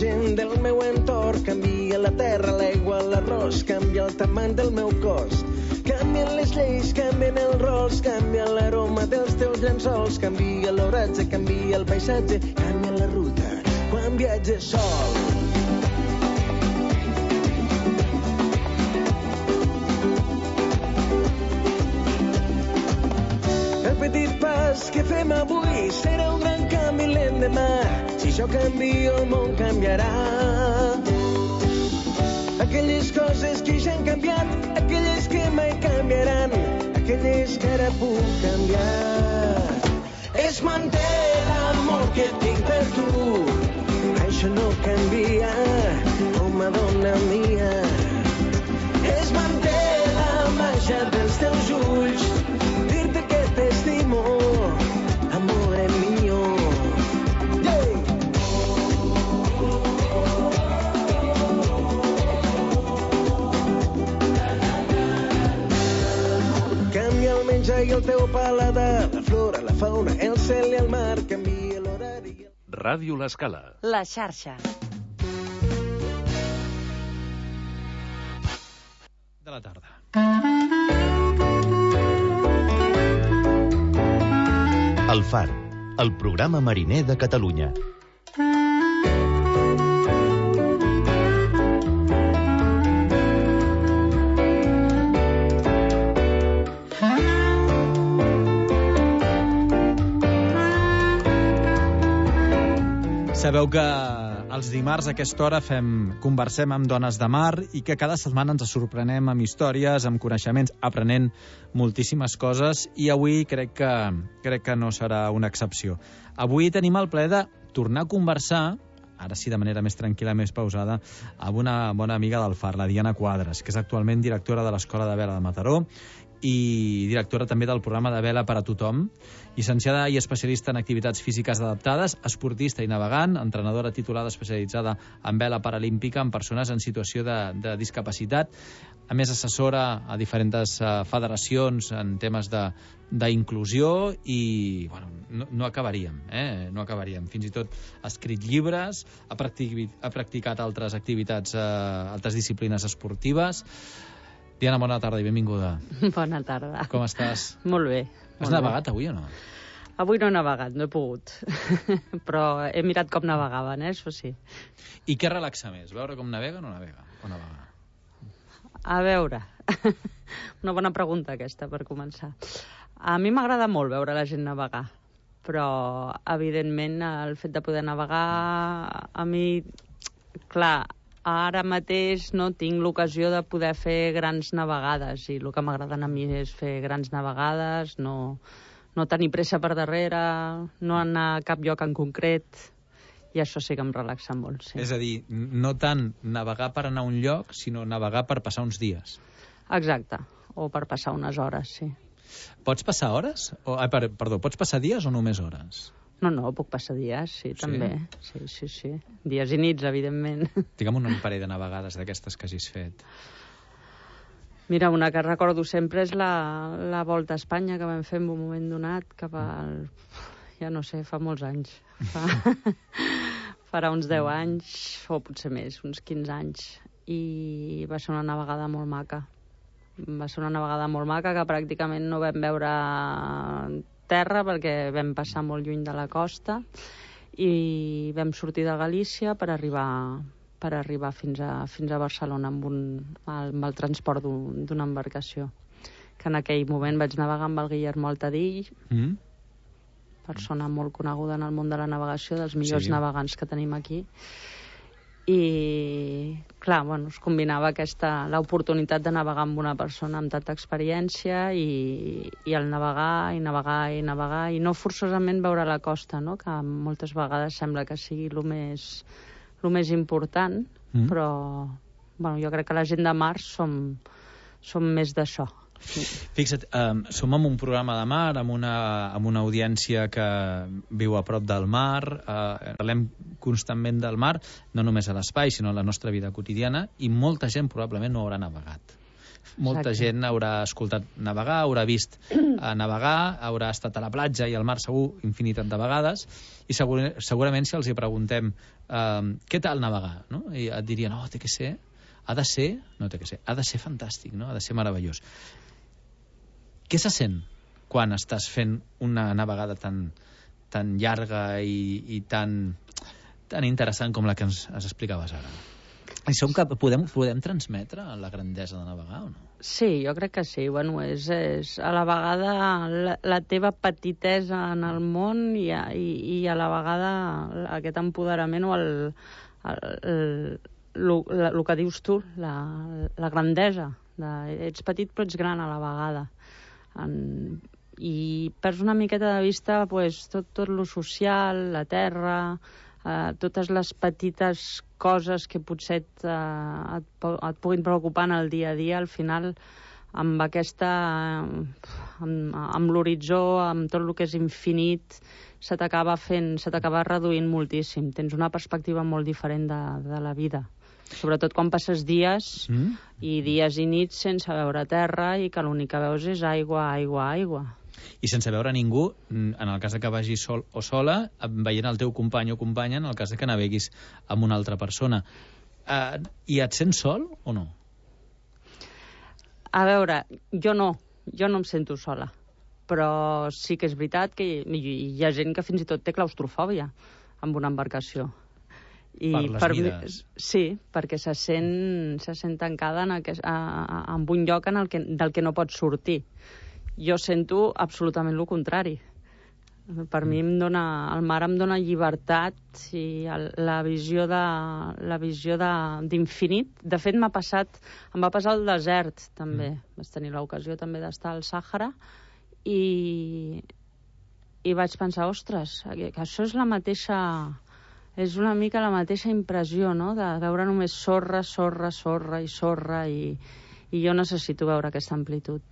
Del meu entorn, canvia la terra, l'aigua, l'arròs, canvia el tamany del meu cos. Canvien les lleis, canvien els rols, canvia l'aroma dels teus llençols, canvia l'oratge, canvia el paisatge, canvia la ruta quan viatges sol. El petit pas que fem avui serà un gran canvi l'endemà. Si això canvia, el món canviarà. Aquelles coses que ja han canviat, aquelles que mai canviaran, aquelles que ara puc canviar. Es manté l'amor que tinc per tu, això no canvia, home, dona mia. Es manté la màgia dels teus ulls, dir-te que t'estimo, amore mio. I el teu paladar, la flor favor, el cel i el mar, canvia l'horari. Ràdio L'Escala. La xarxa. De la tarda. El Far, el programa mariner de Catalunya. Sabeu que els dimarts a aquesta hora fem, conversem amb dones de mar i que cada setmana ens sorprenem amb històries, amb coneixements, aprenent moltíssimes coses, i avui crec que, crec que no serà una excepció. Avui tenim el plaer de tornar a conversar, ara sí de manera més tranquil·la, més pausada, amb una bona amiga del Far, la Diana Quadras, que és actualment directora de l'Escola de Vela de Mataró i directora també del programa de vela per a tothom, llicenciada i especialista en activitats físiques adaptades, esportista i navegant, entrenadora titulada especialitzada en vela paralímpica en persones en situació de, de discapacitat, a més assessora a diferents uh, federacions en temes d'inclusió i bueno, no, no acabaríem, eh? no acabaríem. Fins i tot ha escrit llibres, ha, practic, ha practicat altres activitats, uh, altres disciplines esportives. Diana, bona tarda i benvinguda. Bona tarda. Com estàs? Molt bé. Has molt navegat bé. avui o no? Avui no he navegat, no he pogut. Però he mirat com navegaven, eh? Això sí. I què relaxa més? Veure com navega o no navega? O navegar? A veure. Una bona pregunta aquesta, per començar. A mi m'agrada molt veure la gent navegar. Però, evidentment, el fet de poder navegar, a mi, clar, ara mateix no tinc l'ocasió de poder fer grans navegades i el que m'agraden a mi és fer grans navegades, no, no tenir pressa per darrere, no anar a cap lloc en concret, i això sí que em relaxa molt. Sí. És a dir, no tant navegar per anar a un lloc, sinó navegar per passar uns dies. Exacte, o per passar unes hores, sí. Pots passar hores? O, ah, per, perdó, pots passar dies o només hores? No, no, puc passar dies, sí, sí, també. Sí, sí, sí. Dies i nits, evidentment. Digue'm un parell de navegades d'aquestes que hagis fet. Mira, una que recordo sempre és la, la Volta a Espanya que vam fer en un moment donat, cap al... ja no sé, fa molts anys. Fa... Farà uns deu anys, o potser més, uns quinze anys. I va ser una navegada molt maca. Va ser una navegada molt maca que pràcticament no vam veure terra perquè vam passar molt lluny de la costa i vam sortir de Galícia per arribar, per arribar fins, a, fins a Barcelona amb, un, amb el transport d'una embarcació. Que en aquell moment vaig navegar amb el Guillermo Altadill, mm. persona molt coneguda en el món de la navegació, dels millors sí. navegants que tenim aquí. I, clar, bueno, es combinava aquesta, l'oportunitat de navegar amb una persona amb tanta experiència i, i el navegar, i navegar, i navegar, i no forçosament veure la costa, no?, que moltes vegades sembla que sigui el més, el més important, mm. però, bueno, jo crec que la gent de mar som, som més d'això. Fixa't, um, som en un programa de mar, amb una, amb una audiència que viu a prop del mar, uh, parlem constantment del mar, no només a l'espai, sinó a la nostra vida quotidiana, i molta gent probablement no haurà navegat. Molta Exacte. gent haurà escoltat navegar, haurà vist uh, navegar, haurà estat a la platja i al mar segur infinitat de vegades, i segur, segurament si els hi preguntem uh, què tal navegar, no? I et dirien, no, té que ser, ha de ser, no té que ser, ha de ser fantàstic, no? Ha de ser meravellós. Què se sent quan estàs fent una navegada tan, tan llarga i, i tan, tan interessant com la que ens, ens explicaves ara? I som cap, podem, podem transmetre la grandesa de navegar o no? Sí, jo crec que sí. Bueno, és, és a la vegada la, la teva petitesa en el món i a, i, i a la vegada aquest empoderament o el, el, el, el, el, el que dius tu, la, la grandesa. De, ets petit però ets gran a la vegada. En, i perds una miqueta de vista pues, tot, tot lo social, la terra, eh, totes les petites coses que potser et, eh, et, et puguin preocupar en el dia a dia, al final amb aquesta eh, amb, amb l'horitzó, amb tot el que és infinit, se t'acaba fent, se t'acaba reduint moltíssim, tens una perspectiva molt diferent de, de la vida. Sobretot quan passes dies mm. i dies i nits sense veure terra i que l'únic que veus és aigua, aigua, aigua. I sense veure ningú, en el cas de que vagis sol o sola, veient el teu company o companya, en el cas de que naveguis amb una altra persona. Uh, I et sents sol o no? A veure, jo no, jo no em sento sola, però sí que és veritat que hi, hi ha gent que fins i tot té claustrofòbia amb una embarcació. I per les per mides. Mi, sí, perquè se sent, se sent tancada en, aquest, a, a, en un lloc en el que, del que no pot sortir. Jo sento absolutament el contrari. Per mm. mi em dona, el mar em dona llibertat i el, la visió de la visió d'infinit. De, de fet, m'ha passat, em va passar al desert, també. Mm. Vaig tenir l'ocasió també d'estar al Sàhara i, i vaig pensar, ostres, que això és la mateixa... És una mica la mateixa impressió, no?, de veure només sorra, sorra, sorra i sorra, i, i jo necessito veure aquesta amplitud.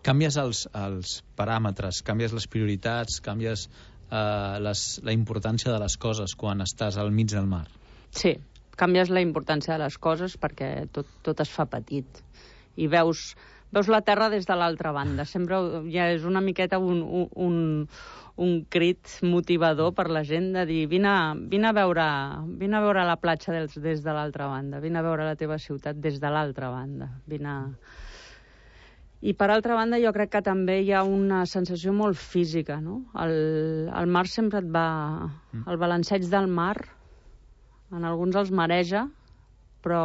Canvies els, els paràmetres, canvies les prioritats, canvies eh, les, la importància de les coses quan estàs al mig del mar. Sí, canvies la importància de les coses perquè tot, tot es fa petit. I veus, veus la terra des de l'altra banda. Sempre ja és una miqueta un... un, un un crit motivador per la gent de dir vine, vine, a, veure, vine a veure la platja des, des de l'altra banda, vine a veure la teva ciutat des de l'altra banda. Vine... I per altra banda jo crec que també hi ha una sensació molt física, no? El, el mar sempre et va... El balanceig del mar, en alguns els mareja, però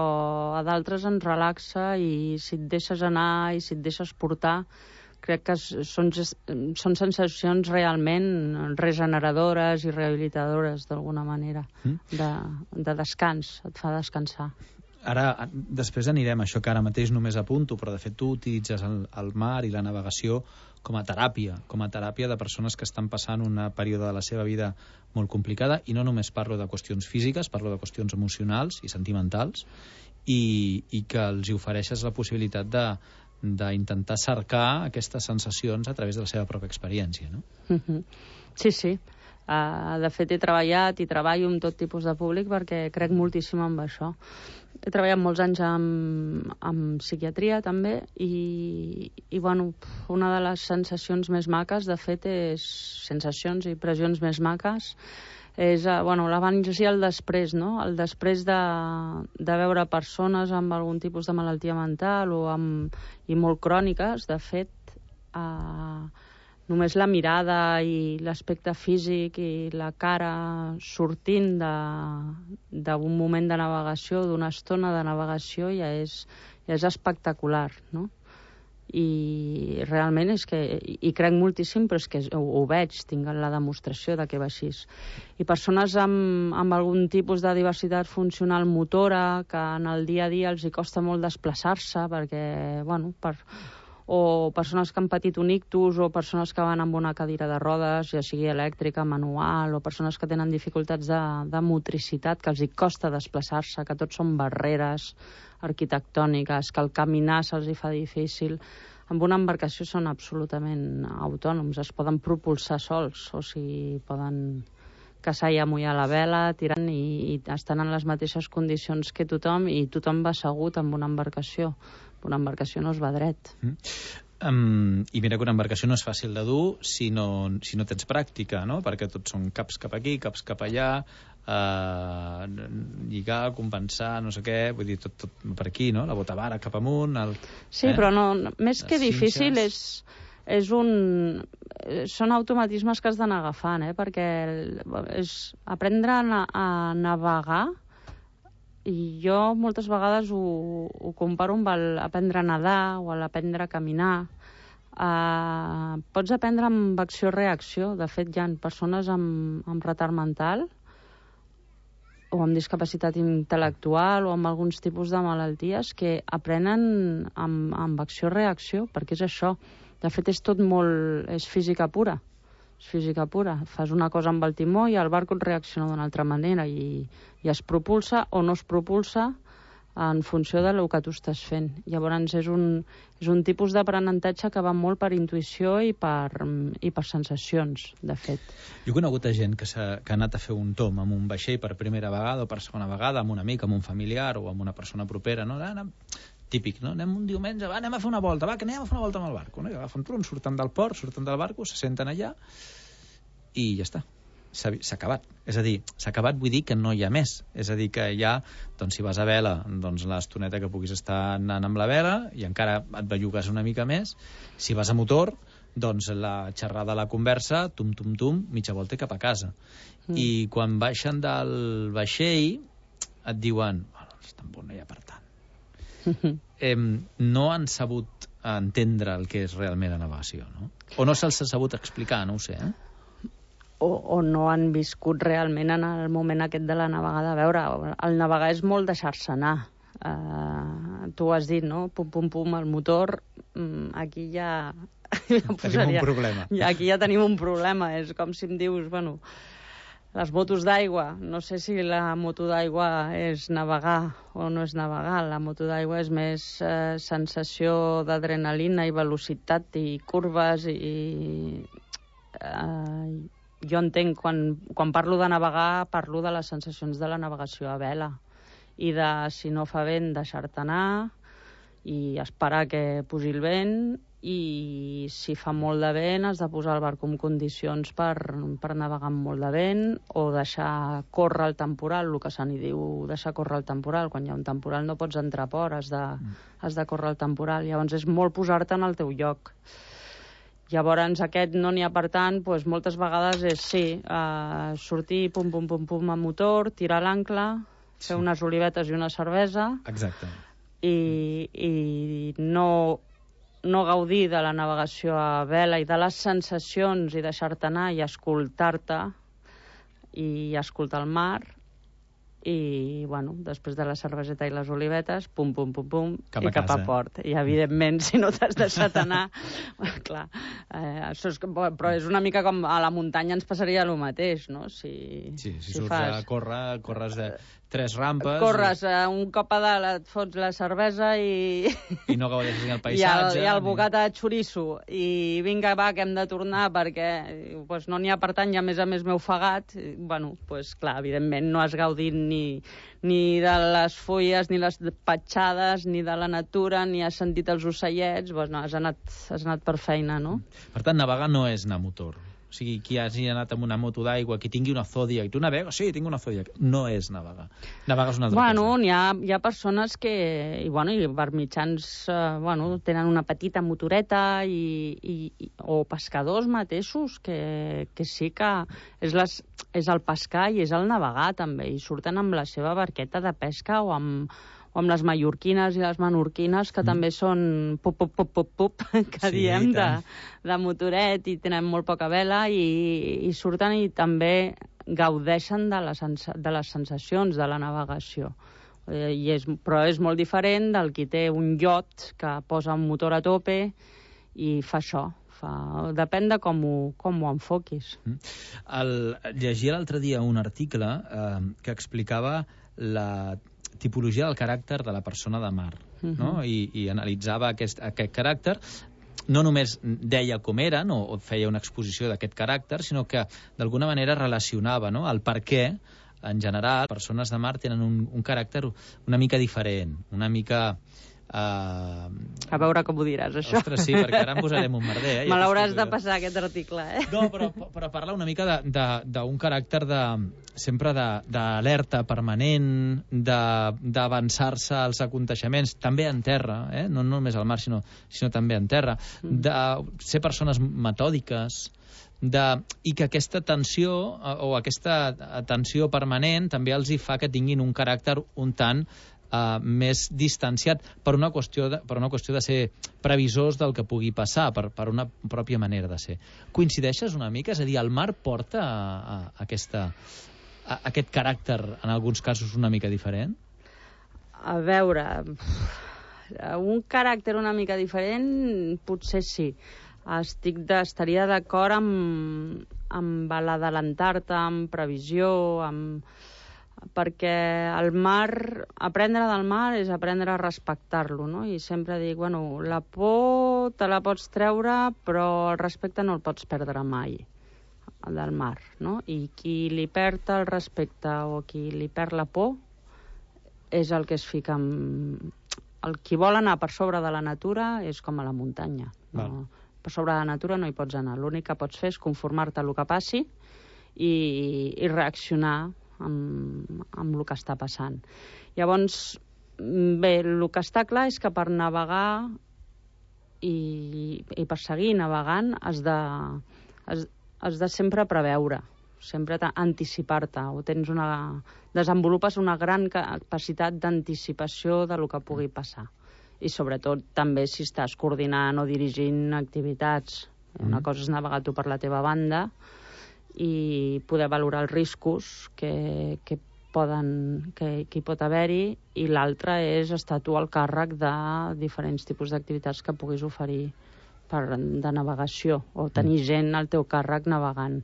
a d'altres ens relaxa i si et deixes anar i si et deixes portar, crec que són, són sensacions realment regeneradores i rehabilitadores, d'alguna manera, de, de descans, et fa descansar. Ara, després anirem a això que ara mateix només apunto, però de fet tu utilitzes el, el mar i la navegació com a teràpia, com a teràpia de persones que estan passant un període de la seva vida molt complicada, i no només parlo de qüestions físiques, parlo de qüestions emocionals i sentimentals, i, i que els ofereixes la possibilitat de d'intentar cercar aquestes sensacions a través de la seva pròpia experiència, no? Uh-huh. Sí, sí. Uh, de fet, he treballat i treballo amb tot tipus de públic perquè crec moltíssim en això. He treballat molts anys amb, amb psiquiatria, també, i, i bueno, una de les sensacions més maques, de fet, és sensacions i impressions més maques, és bueno, l'abans i el després, no? El després de, de veure persones amb algun tipus de malaltia mental o amb, i molt cròniques, de fet, eh, només la mirada i l'aspecte físic i la cara sortint d'un moment de navegació, d'una estona de navegació, ja és, ja és espectacular, no? I realment és que hi crec moltíssim, però és que ho, ho veig, tinc la demostració de que va així. I persones amb, amb algun tipus de diversitat funcional motora, que en el dia a dia els hi costa molt desplaçar-se, perquè, bueno, per, o persones que han patit un ictus, o persones que van amb una cadira de rodes, ja sigui elèctrica, manual, o persones que tenen dificultats de, de motricitat, que els hi costa desplaçar-se, que tot són barreres arquitectòniques, que el caminar se'ls hi fa difícil. Amb una embarcació són absolutament autònoms, es poden propulsar sols, o sigui, poden caçar i amullar la vela, tirant, i, i estan en les mateixes condicions que tothom, i tothom va assegut amb una embarcació. Una embarcació no es va dret. Mm. Um, I mira que una embarcació no és fàcil de dur si no, si no tens pràctica, no? Perquè tots són caps cap aquí, caps cap allà, uh, lligar, compensar, no sé què, vull dir, tot, tot per aquí, no? La botavara cap amunt... El, sí, eh? Però no, més que difícil és, és un... són automatismes que has d'anar agafant, eh? Perquè és aprendre a, a navegar. I jo moltes vegades ho, ho comparo amb el aprendre a nedar o l'aprendre a caminar. Uh, pots aprendre amb acció-reacció. De fet, hi ha persones amb, amb retard mental o amb discapacitat intel·lectual o amb alguns tipus de malalties que aprenen amb, amb acció-reacció, perquè és això. De fet, és tot molt... és física pura. És física pura. Fas una cosa amb el timó i el barco et reacciona d'una altra manera i, i es propulsa o no es propulsa en funció del que tu estàs fent. Llavors és un, és un tipus d'aprenentatge que va molt per intuïció i per, i per sensacions, de fet. Jo he conegut gent que, que ha anat a fer un tom amb un vaixell per primera vegada o per segona vegada, amb un amic, amb un familiar o amb una persona propera, no? típic, no? Anem un diumenge, va, anem a fer una volta, va, que anem a fer una volta amb el barco, no? I agafen tron, surten del port, surten del barco, se senten allà i ja està. S'ha acabat. És a dir, s'ha acabat vull dir que no hi ha més. És a dir, que ja, doncs, si vas a vela, doncs l'estoneta que puguis estar anant amb la vela i encara et bellugues una mica més. Si vas a motor, doncs la xerrada, la conversa, tum, tum, tum, mitja volta i cap a casa. Mm. I quan baixen del vaixell et diuen, bueno, està bon, no hi ha per tant. eh, no han sabut entendre el que és realment la navegació, no? O no se'ls ha sabut explicar, no ho sé, eh? O, o no han viscut realment en el moment aquest de la navegada. A veure, el navegar és molt deixar-se anar. Uh, tu ho has dit, no? Pum, pum, pum, el motor, um, aquí ja... ja posaria, tenim un problema. Ja, aquí ja tenim un problema. És com si em dius, bueno... Les motos d'aigua, no sé si la moto d'aigua és navegar o no és navegar. La moto d'aigua és més eh, sensació d'adrenalina i velocitat i curves i... Eh, jo entenc, quan, quan parlo de navegar, parlo de les sensacions de la navegació a vela i de, si no fa vent, deixar-te anar i esperar que pugi el vent, i si fa molt de vent has de posar el barco en condicions per, per navegar amb molt de vent o deixar córrer el temporal, el que se n'hi diu deixar córrer el temporal. Quan hi ha un temporal no pots entrar a port, has de, mm. has de córrer el temporal. Llavors és molt posar-te en el teu lloc. Llavors aquest no n'hi ha per tant, doncs moltes vegades és sí, uh, sortir pum pum pum pum a motor, tirar l'ancle, fer sí. unes olivetes i una cervesa. Exacte. I, i no... no gaudir de la navegació a vela i de les sensacions i deixar-te anar i escoltar-te i escoltar el mar i, bueno, després de la cerveseta i les olivetes, pum, pum, pum, pum, cap i cap a port. I, evidentment, si no t'has deixat anar, clar, eh, això és, però és una mica com a la muntanya ens passaria el mateix, no? Si, sí, si, si surts fas... a córrer, corres de tres rampes... Corres i... uh, un cop a dalt, et fots la cervesa i... I no gaudeixes ni el paisatge... I el, i el ni... bocata de xoriço. I vinga, va, que hem de tornar perquè pues, no n'hi ha per tant, i a més a més m'he ofegat. I, bueno, pues, clar, evidentment no has gaudit ni, ni de les fulles, ni les petjades, ni de la natura, ni has sentit els ocellets. Pues, no, has anat, has anat per feina, no? Per tant, navegar no és anar a motor. O sigui, qui hagi anat amb una moto d'aigua, qui tingui una Zodiac, i tu navegues? Sí, tinc una Zodiac. No és navegar. Navegar és una altra bueno, cosa. Hi ha, hi ha persones que, i, bueno, i per mitjans, eh, bueno, tenen una petita motoreta i, i, o pescadors mateixos que, que sí que és, les, és el pescar i és el navegar també, i surten amb la seva barqueta de pesca o amb o amb les mallorquines i les menorquines, que mm. també són pup, pup, pup, pup, pup, que sí, diem, de, de motoret, i tenen molt poca vela, i, i surten i també gaudeixen de les, de les sensacions de la navegació. Eh, i és, però és molt diferent del qui té un iot que posa un motor a tope i fa això. Fa... Depèn de com ho, com ho enfoquis. Mm. El, llegia l'altre dia un article eh, que explicava la tipologia del caràcter de la persona de mar, uh-huh. no? I, i analitzava aquest, aquest caràcter. No només deia com eren o, o feia una exposició d'aquest caràcter, sinó que d'alguna manera relacionava, no?, el per què, en general, persones de mar tenen un, un caràcter una mica diferent, una mica... Uh... A veure com ho diràs, això. Ostres, sí, perquè ara em posarem un merder. Eh? Me l'hauràs de passar, aquest article, eh? No, però, però parla una mica d'un caràcter de, sempre d'alerta permanent, d'avançar-se als aconteixements, també en terra, eh? no només al mar, sinó, sinó també en terra, de ser persones metòdiques, de, i que aquesta tensió o aquesta atenció permanent també els hi fa que tinguin un caràcter un tant Uh, més distanciat per una, qüestió de, per una qüestió de ser previsors del que pugui passar, per, per una pròpia manera de ser. Coincideixes una mica? És a dir, el mar porta a, a, a, aquesta, a, a aquest caràcter, en alguns casos, una mica diferent? A veure, un caràcter una mica diferent potser sí. Estic de, estaria d'acord amb, amb l'adelantar-te, amb previsió, amb... perquè el mar, aprendre del mar és aprendre a respectar-lo, no? I sempre dic, bueno, la por te la pots treure, però el respecte no el pots perdre mai, del mar, no? I qui li perd el respecte o qui li perd la por és el que es fica amb el qui vol anar per sobre de la natura és com a la muntanya. No? Per sobre de la natura no hi pots anar. L'únic que pots fer és conformar-te a el que passi i, i reaccionar amb, amb el que està passant. Llavors, bé, el que està clar és que per navegar i, i per seguir navegant has de, has, has de sempre preveure, sempre anticipar-te, o tens una, desenvolupes una gran capacitat d'anticipació de lo que pugui passar. I sobretot també si estàs coordinant o dirigint activitats. Una cosa és navegar tu per la teva banda i poder valorar els riscos que, que, poden, que, que hi pot haver-hi, i l'altra és estar tu al càrrec de diferents tipus d'activitats que puguis oferir per, de navegació, o tenir gent al teu càrrec navegant.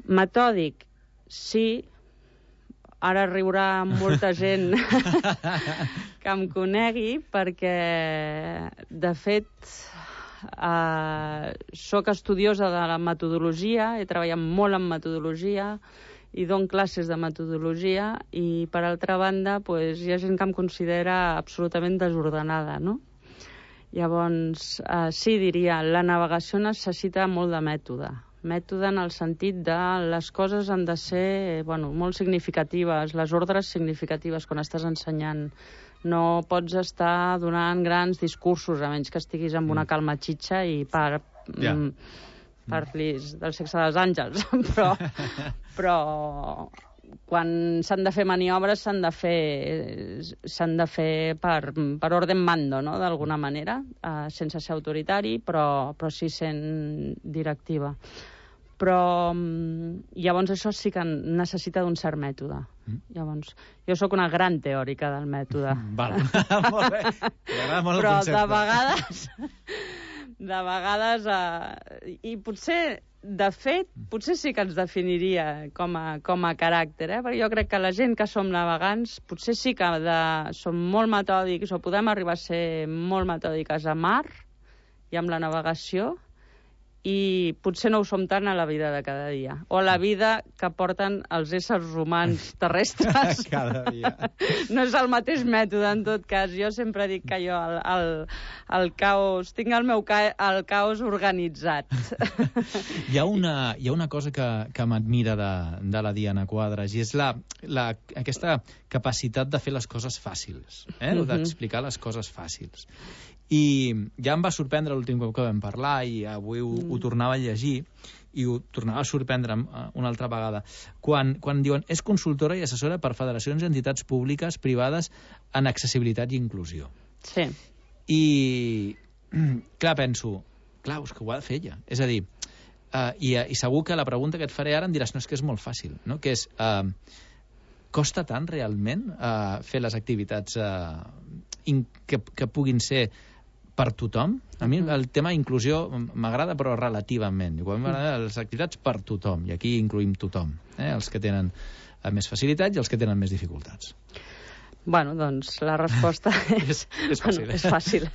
Metòdic, sí. Ara riurà molta gent que em conegui, perquè, de fet, eh, soc estudiosa de la metodologia, he treballat molt en metodologia i dono classes de metodologia, i, per altra banda, pues, hi ha gent que em considera absolutament desordenada, no? Llavors, eh, sí, diria, la navegació necessita molt de mètode. Mètode en el sentit de les coses han de ser, bueno, molt significatives, les ordres significatives quan estàs ensenyant. No pots estar donant grans discursos, a menys que estiguis amb una calma xitxa i par, yeah. mm, parlis del sexe dels àngels. però, però quan s'han de fer maniobres s'han de fer, s'han de fer per, per orden mando, no?, d'alguna manera, eh, sense ser autoritari, però, però sí sent directiva. Però llavors això sí que necessita d'un cert mètode. Mm. Llavors, jo sóc una gran teòrica del mètode. Val, molt bé. M'agrada molt Però el concepte. de vegades, de vegades, eh, i potser, de fet, potser sí que ens definiria com a, com a caràcter, eh? Perquè jo crec que la gent que som navegants, potser sí que de, som molt metòdics, o podem arribar a ser molt metòdiques a mar i amb la navegació, i potser no ho som tant a la vida de cada dia, o a la vida que porten els éssers humans terrestres. Cada dia. No és el mateix mètode, en tot cas. Jo sempre dic que jo el, el, el caos, tinc el meu ca, el caos organitzat. Hi ha una, hi ha una cosa que, que m'admira de, de la Diana Quadras, i és la, la, aquesta capacitat de fer les coses fàcils, eh? Uh-huh. D'explicar les coses fàcils. I ja em va sorprendre l'últim cop que vam parlar, i avui ho, mm. ho tornava a llegir, i ho tornava a sorprendre una altra vegada, quan, quan diuen és consultora i assessora per federacions i entitats públiques privades en accessibilitat i inclusió. Sí. I, clar, penso, clar, és que ho ha de fer ella. És a dir, uh, i, i segur que la pregunta que et faré ara em diràs, no, és que és molt fàcil, no? Que és, uh, costa tant realment uh, fer les activitats uh, in, que, que puguin ser per tothom? A mi el tema inclusió m'agrada, però relativament. Igual m'agrada les activitats per tothom, i aquí incluïm tothom, eh? Els que tenen més facilitats i els que tenen més dificultats. Bueno, doncs la resposta és, és, fàcil. Bueno, és fàcil.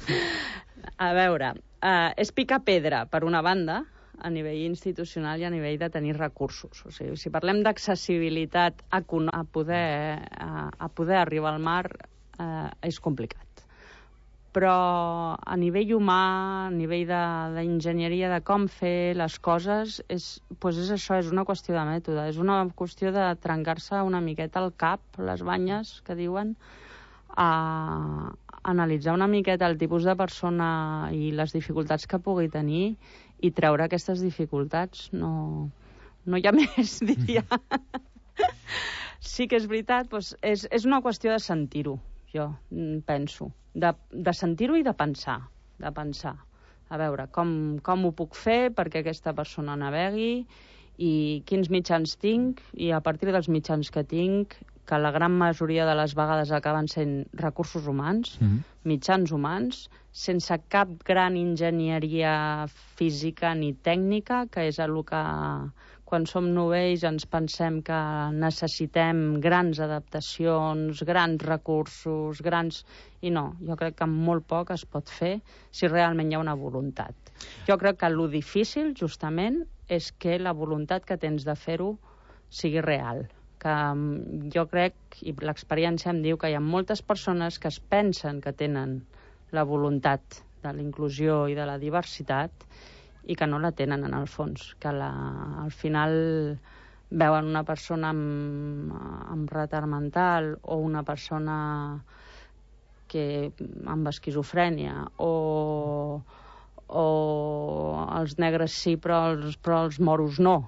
A veure, eh, és picar pedra, per una banda, a nivell institucional i a nivell de tenir recursos. O sigui, si parlem d'accessibilitat a, a, poder, a, a poder arribar al mar, eh, és complicat. Però a nivell humà, a nivell d'enginyeria, de, de com fer les coses, és, doncs és això, és una qüestió de mètode, és una qüestió de trencar-se una miqueta el cap, les banyes, que diuen, a analitzar una miqueta el tipus de persona i les dificultats que pugui tenir i treure aquestes dificultats. No, no hi ha més, diria. Sí que és veritat, doncs és, és una qüestió de sentir-ho, jo penso. De, de sentir-ho i de pensar, de pensar. A veure, com, com ho puc fer perquè aquesta persona navegui, i quins mitjans tinc, i a partir dels mitjans que tinc, que la gran majoria de les vegades acaben sent recursos humans, mm-hmm. mitjans humans, sense cap gran enginyeria física ni tècnica, que és el que quan som novells ens pensem que necessitem grans adaptacions, grans recursos, grans... I no, jo crec que amb molt poc es pot fer si realment hi ha una voluntat. Jo crec que lo difícil, justament, és que la voluntat que tens de fer-ho sigui real, que jo crec, i l'experiència em diu, que hi ha moltes persones que es pensen que tenen la voluntat de la inclusió i de la diversitat i que no la tenen en el fons, que la, al final veuen una persona amb, amb retard mental o una persona que amb esquizofrènia o, o els negres sí però els, però els moros no.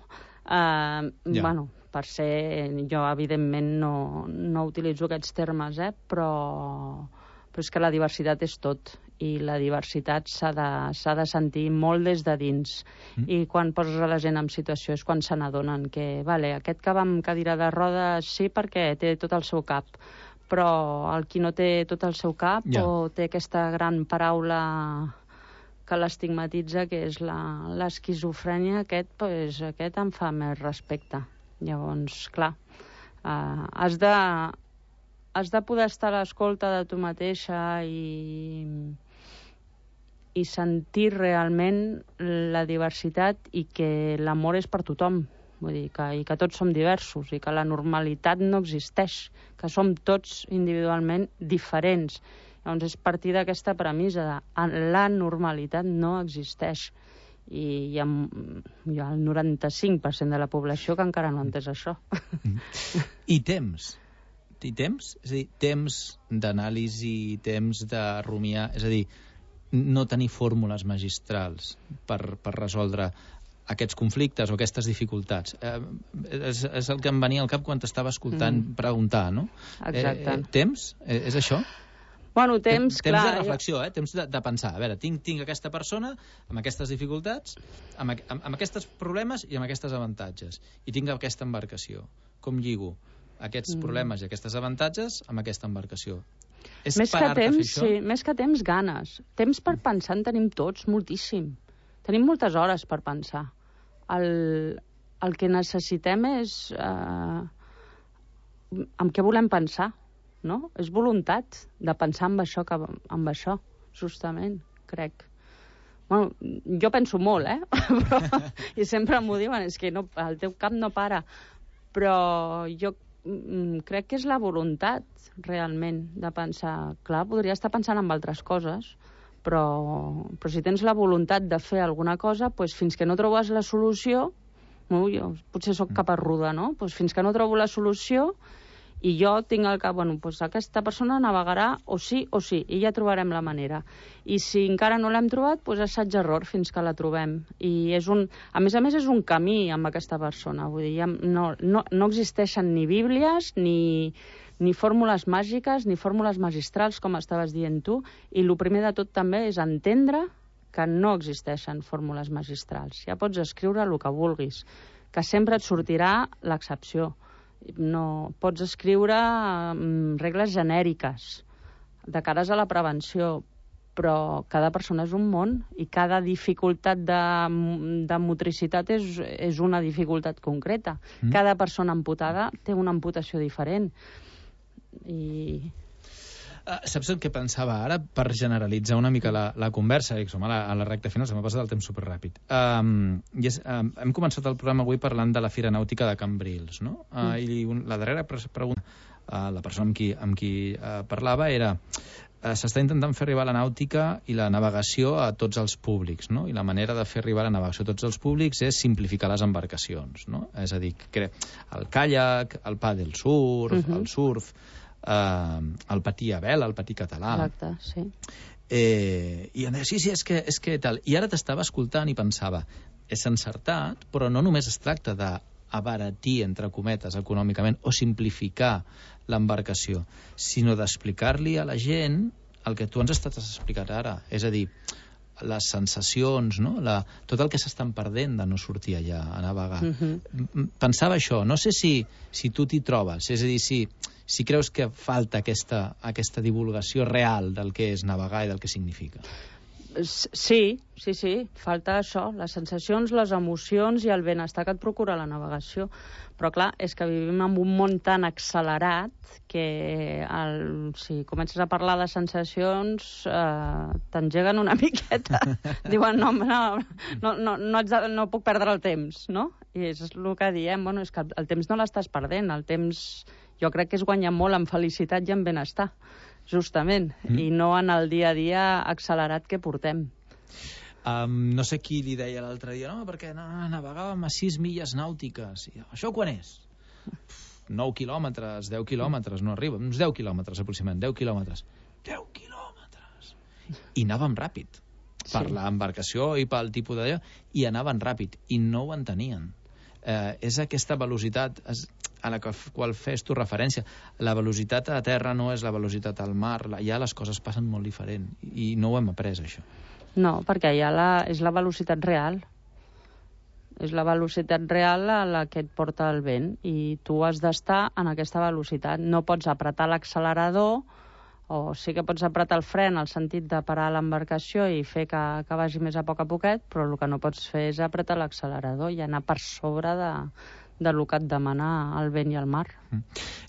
Uh, Ja. Bueno, per ser... Jo, evidentment, no, no utilitzo aquests termes, eh? però, però és que la diversitat és tot i la diversitat s'ha de, s'ha de sentir molt des de dins. Mm. I quan poses a la gent en situació és quan se n'adonen que, vale, aquest que va amb cadira de rodes sí perquè té tot el seu cap, però el qui no té tot el seu cap Ja. o té aquesta gran paraula que l'estigmatitza, que és la- l'esquizofrènia, aquest, pues, aquest em fa més respecte. Llavors, clar, uh, has de, has de poder estar a l'escolta de tu mateixa i, i sentir realment la diversitat i que l'amor és per tothom. Vull dir, que, i que tots som diversos i que la normalitat no existeix, que som tots individualment diferents. Llavors és partir d'aquesta premissa de la normalitat no existeix. I hi ha, hi ha el noranta-cinc per cent de la població que encara no ha entès això. I temps. I temps? És a dir, temps d'anàlisi, temps de rumiar... És a dir, no tenir fórmules magistrals per, per resoldre aquests conflictes o aquestes dificultats. Eh, és, és el que em venia al cap quan t'estava escoltant mm. preguntar, no? Exacte. Eh, eh, temps? Eh, és això? Bueno, temps, temps clar... de reflexió, eh? Temps de, de pensar. A veure, tinc, tinc aquesta persona amb aquestes dificultats, amb, amb, amb aquests problemes i amb aquestes avantatges. I tinc aquesta embarcació. Com lligo aquests Mm. problemes i aquestes avantatges amb aquesta embarcació? És Més que parar-te a fer temps, això? sí, més que temps, ganes. Temps per pensar en tenim tots, moltíssim. Tenim moltes hores per pensar. El, el que necessitem és... Eh, amb què volem pensar, no? És voluntat de pensar en això, que, en això, justament, crec. Bueno, jo penso molt, eh? Però, i sempre m'ho diuen, és que no, el teu cap no para. Però jo mm, crec que és la voluntat, realment, de pensar... Clar, podria estar pensant en altres coses, però, però si tens la voluntat de fer alguna cosa, doncs fins que no trobes la solució, no, jo potser sóc caparruda, no? Doncs fins que no trobo la solució i jo tinc al cap, bueno, doncs aquesta persona navegarà o sí o sí, i ja trobarem la manera. I si encara no l'hem trobat, doncs assaig-error fins que la trobem. I és un, a més a més és un camí amb aquesta persona, vull dir, ja no, no, no existeixen ni bíblies, ni, ni fórmules màgiques, ni fórmules magistrals, com estaves dient tu, i el primer de tot també és entendre que no existeixen fórmules magistrals. Ja pots escriure el que vulguis, que sempre et sortirà l'excepció. No, pots escriure um, regles genèriques de cares a la prevenció, però cada persona és un món i cada dificultat de, de motricitat és, és una dificultat concreta. Mm. Cada persona amputada té una amputació diferent. I... Uh, saps el que pensava ara, per generalitzar una mica la, la conversa, i som a la, a la recta final, se m'ha passat el temps superràpid. Um, i és, um, hem començat el programa avui parlant de la Fira Nàutica de Cambrils, no? Uh, mm. I un, la darrera pregunta, uh, la persona amb qui, amb qui uh, parlava era uh, s'està intentant fer arribar la nàutica i la navegació a tots els públics, no? I la manera de fer arribar la navegació a tots els públics és simplificar les embarcacions, no? És a dir, que el caiac, el paddle surf, uh-huh. el surf... Uh, el patí a vela, el patí català. Exacte, sí. Eh, I em deia, sí, sí, és que, és que tal. I ara t'estava escoltant i pensava, és encertat, però no només es tracta d'abaratir, entre cometes, econòmicament, o simplificar l'embarcació, sinó d'explicar-li a la gent el que tu ens estàs explicant ara. És a dir, les sensacions, no? La, tot el que s'estan perdent de no sortir allà a navegar. Uh-huh. Pensava això, no sé si, si tu t'hi trobes, és a dir, si, si creus que falta aquesta, aquesta divulgació real del que és navegar i del que significa. Sí, sí, sí, falta això, les sensacions, les emocions i el benestar que et procura la navegació. Però clar, és que vivim en un món tan accelerat que el, si comences a parlar de sensacions eh, t'engeguen una miqueta. Diuen, no, no, no, no, no, ets de, no puc perdre el temps, no? I és el que diem, bueno, és que el, el temps no l'estàs perdent, el temps jo crec que es guanya molt en felicitat i en benestar, justament, mm. i no en el dia a dia accelerat que portem. Um, no sé qui li deia l'altre dia, no, perquè no, navegàvem a sis milles nàutiques. I, això quan és? nou quilòmetres, deu quilòmetres, no arriba, uns deu quilòmetres aproximadament, deu quilòmetres. deu quilòmetres! I anàvem ràpid, per sí. l'embarcació i pel tipus de... i anàvem ràpid, i no ho entenien. Eh, és aquesta velocitat es, a la qual fes tu referència. La velocitat a terra no és la velocitat al mar, ja les coses passen molt diferent, i no ho hem après, això. No, perquè ja la, és la velocitat real. És la velocitat real a la que et porta el vent i tu has d'estar en aquesta velocitat. No pots apretar l'accelerador, o sí que pots apretar el fre en el sentit de parar l'embarcació i fer que, que vagi més a poc a poquet, però el que no pots fer és apretar l'accelerador i anar per sobre de, de lo que et demana el vent i el mar.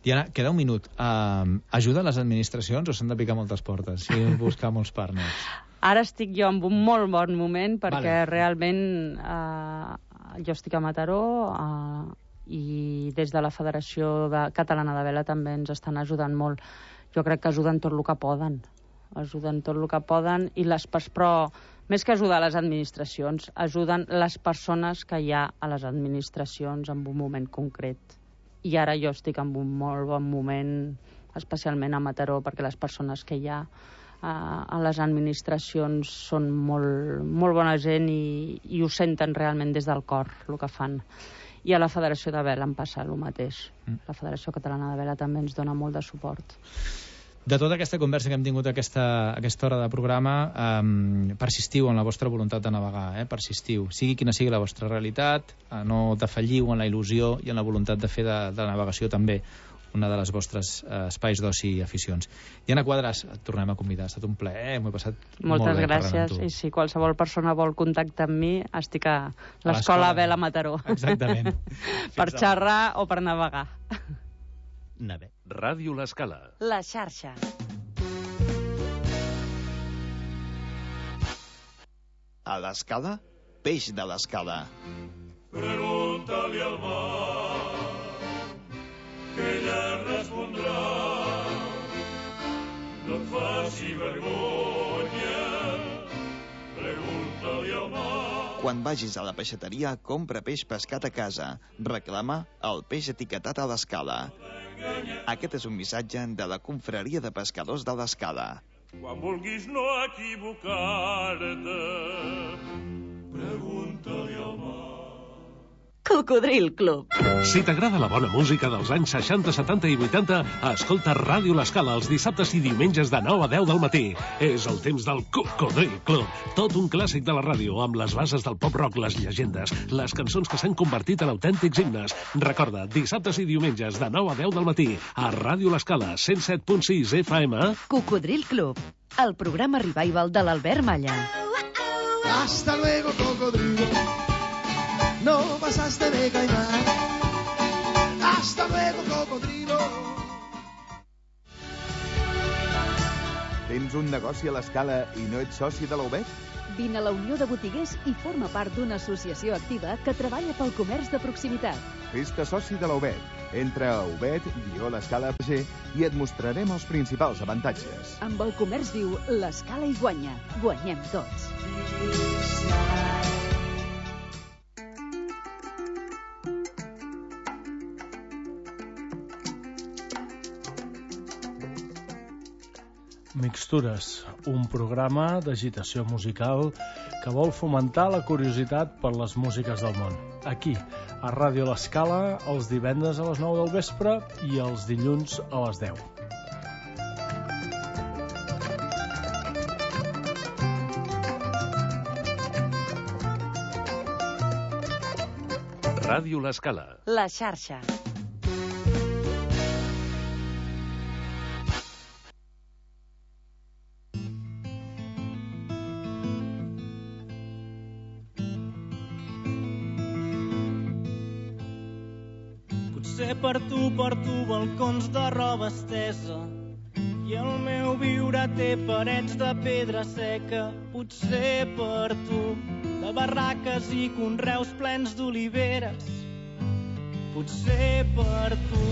Diana, queda un minut. Uh, ajuda a les administracions o s'han de picar moltes portes i buscar molts partners? Ara estic jo en un molt bon moment perquè vale. realment eh, jo estic a Mataró eh, i des de la Federació de Catalana de Vela també ens estan ajudant molt. Jo crec que ajuden tot el que poden. Ajuden tot el que poden, i les, però més que ajudar les administracions, ajuden les persones que hi ha a les administracions en un moment concret. I ara jo estic en un molt bon moment, especialment a Mataró, perquè les persones que hi ha a les administracions són molt, molt bona gent i, i ho senten realment des del cor, el que fan. I a la Federació de Vela em passa el mateix. La Federació Catalana de Vela també ens dona molt de suport. De tota aquesta conversa que hem tingut a aquesta, a aquesta hora de programa, um, persistiu en la vostra voluntat de navegar, eh? persistiu. Sigui quina sigui la vostra realitat, eh, no defalliu en la il·lusió i en la voluntat de fer de, de navegació també una de les vostres eh, espais d'oci i aficions. Diana Quadras, et tornem a convidar. Ha estat un plaer, m'ho he passat Moltes molt bé gràcies. I si qualsevol persona vol contactar amb mi, estic a l'Escola Vela Mataró. Exactament. Per xerrar o per navegar. Nave. Ràdio L'Escala. La xarxa. A l'Escala, peix de l'Escala. Pregunta-li al mar que ella respondrà. No et faci vergonya, pregunta-li al mar. Quan vagis a la peixateria, compra peix pescat a casa. Reclama el peix etiquetat a l'Escala. Aquest és un missatge de la Confraria de Pescadors de l'Escala. Quan vulguis no equivocar-te, pregunta-li al mar. Cocodril Club. Si t'agrada la bona música dels anys seixanta, setanta i vuitanta, escolta Ràdio L'Escala els dissabtes i diumenges de nou a deu del matí. És el temps del Cocodril Club. Tot un clàssic de la ràdio, amb les bases del pop-rock, les llegendes, les cançons que s'han convertit en autèntics himnes. Recorda, dissabtes i diumenges de nou a deu del matí, a Ràdio L'Escala, cent set punt sis F M. Cocodril Club, el programa revival de l'Albert Malla. Hasta luego, cocodrilo. No pasaste de caimán. Hasta luego, cocodrilo. Tens un negoci a l'Escala i no ets soci de la U B E T? Vine a la Unió de Botiguers i forma part d'una associació activa que treballa pel comerç de proximitat. Fes-te soci de la U B E T. Entra a ubet guió l'escala punc g i et mostrarem els principals avantatges. Amb el comerç viu, l'Escala hi guanya. Guanyem tots. Mixtures, un programa d'agitació musical que vol fomentar la curiositat per les músiques del món. Aquí, a Ràdio L'Escala, els divendres a les nou del vespre i els dilluns a les deu. Ràdio L'Escala. La xarxa. Potser per tu porto balcons de roba estesa i el meu viure té parets de pedra seca. Potser per tu de barraques i conreus plens d'oliveres. Potser per tu.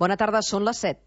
Bona tarda, són les set.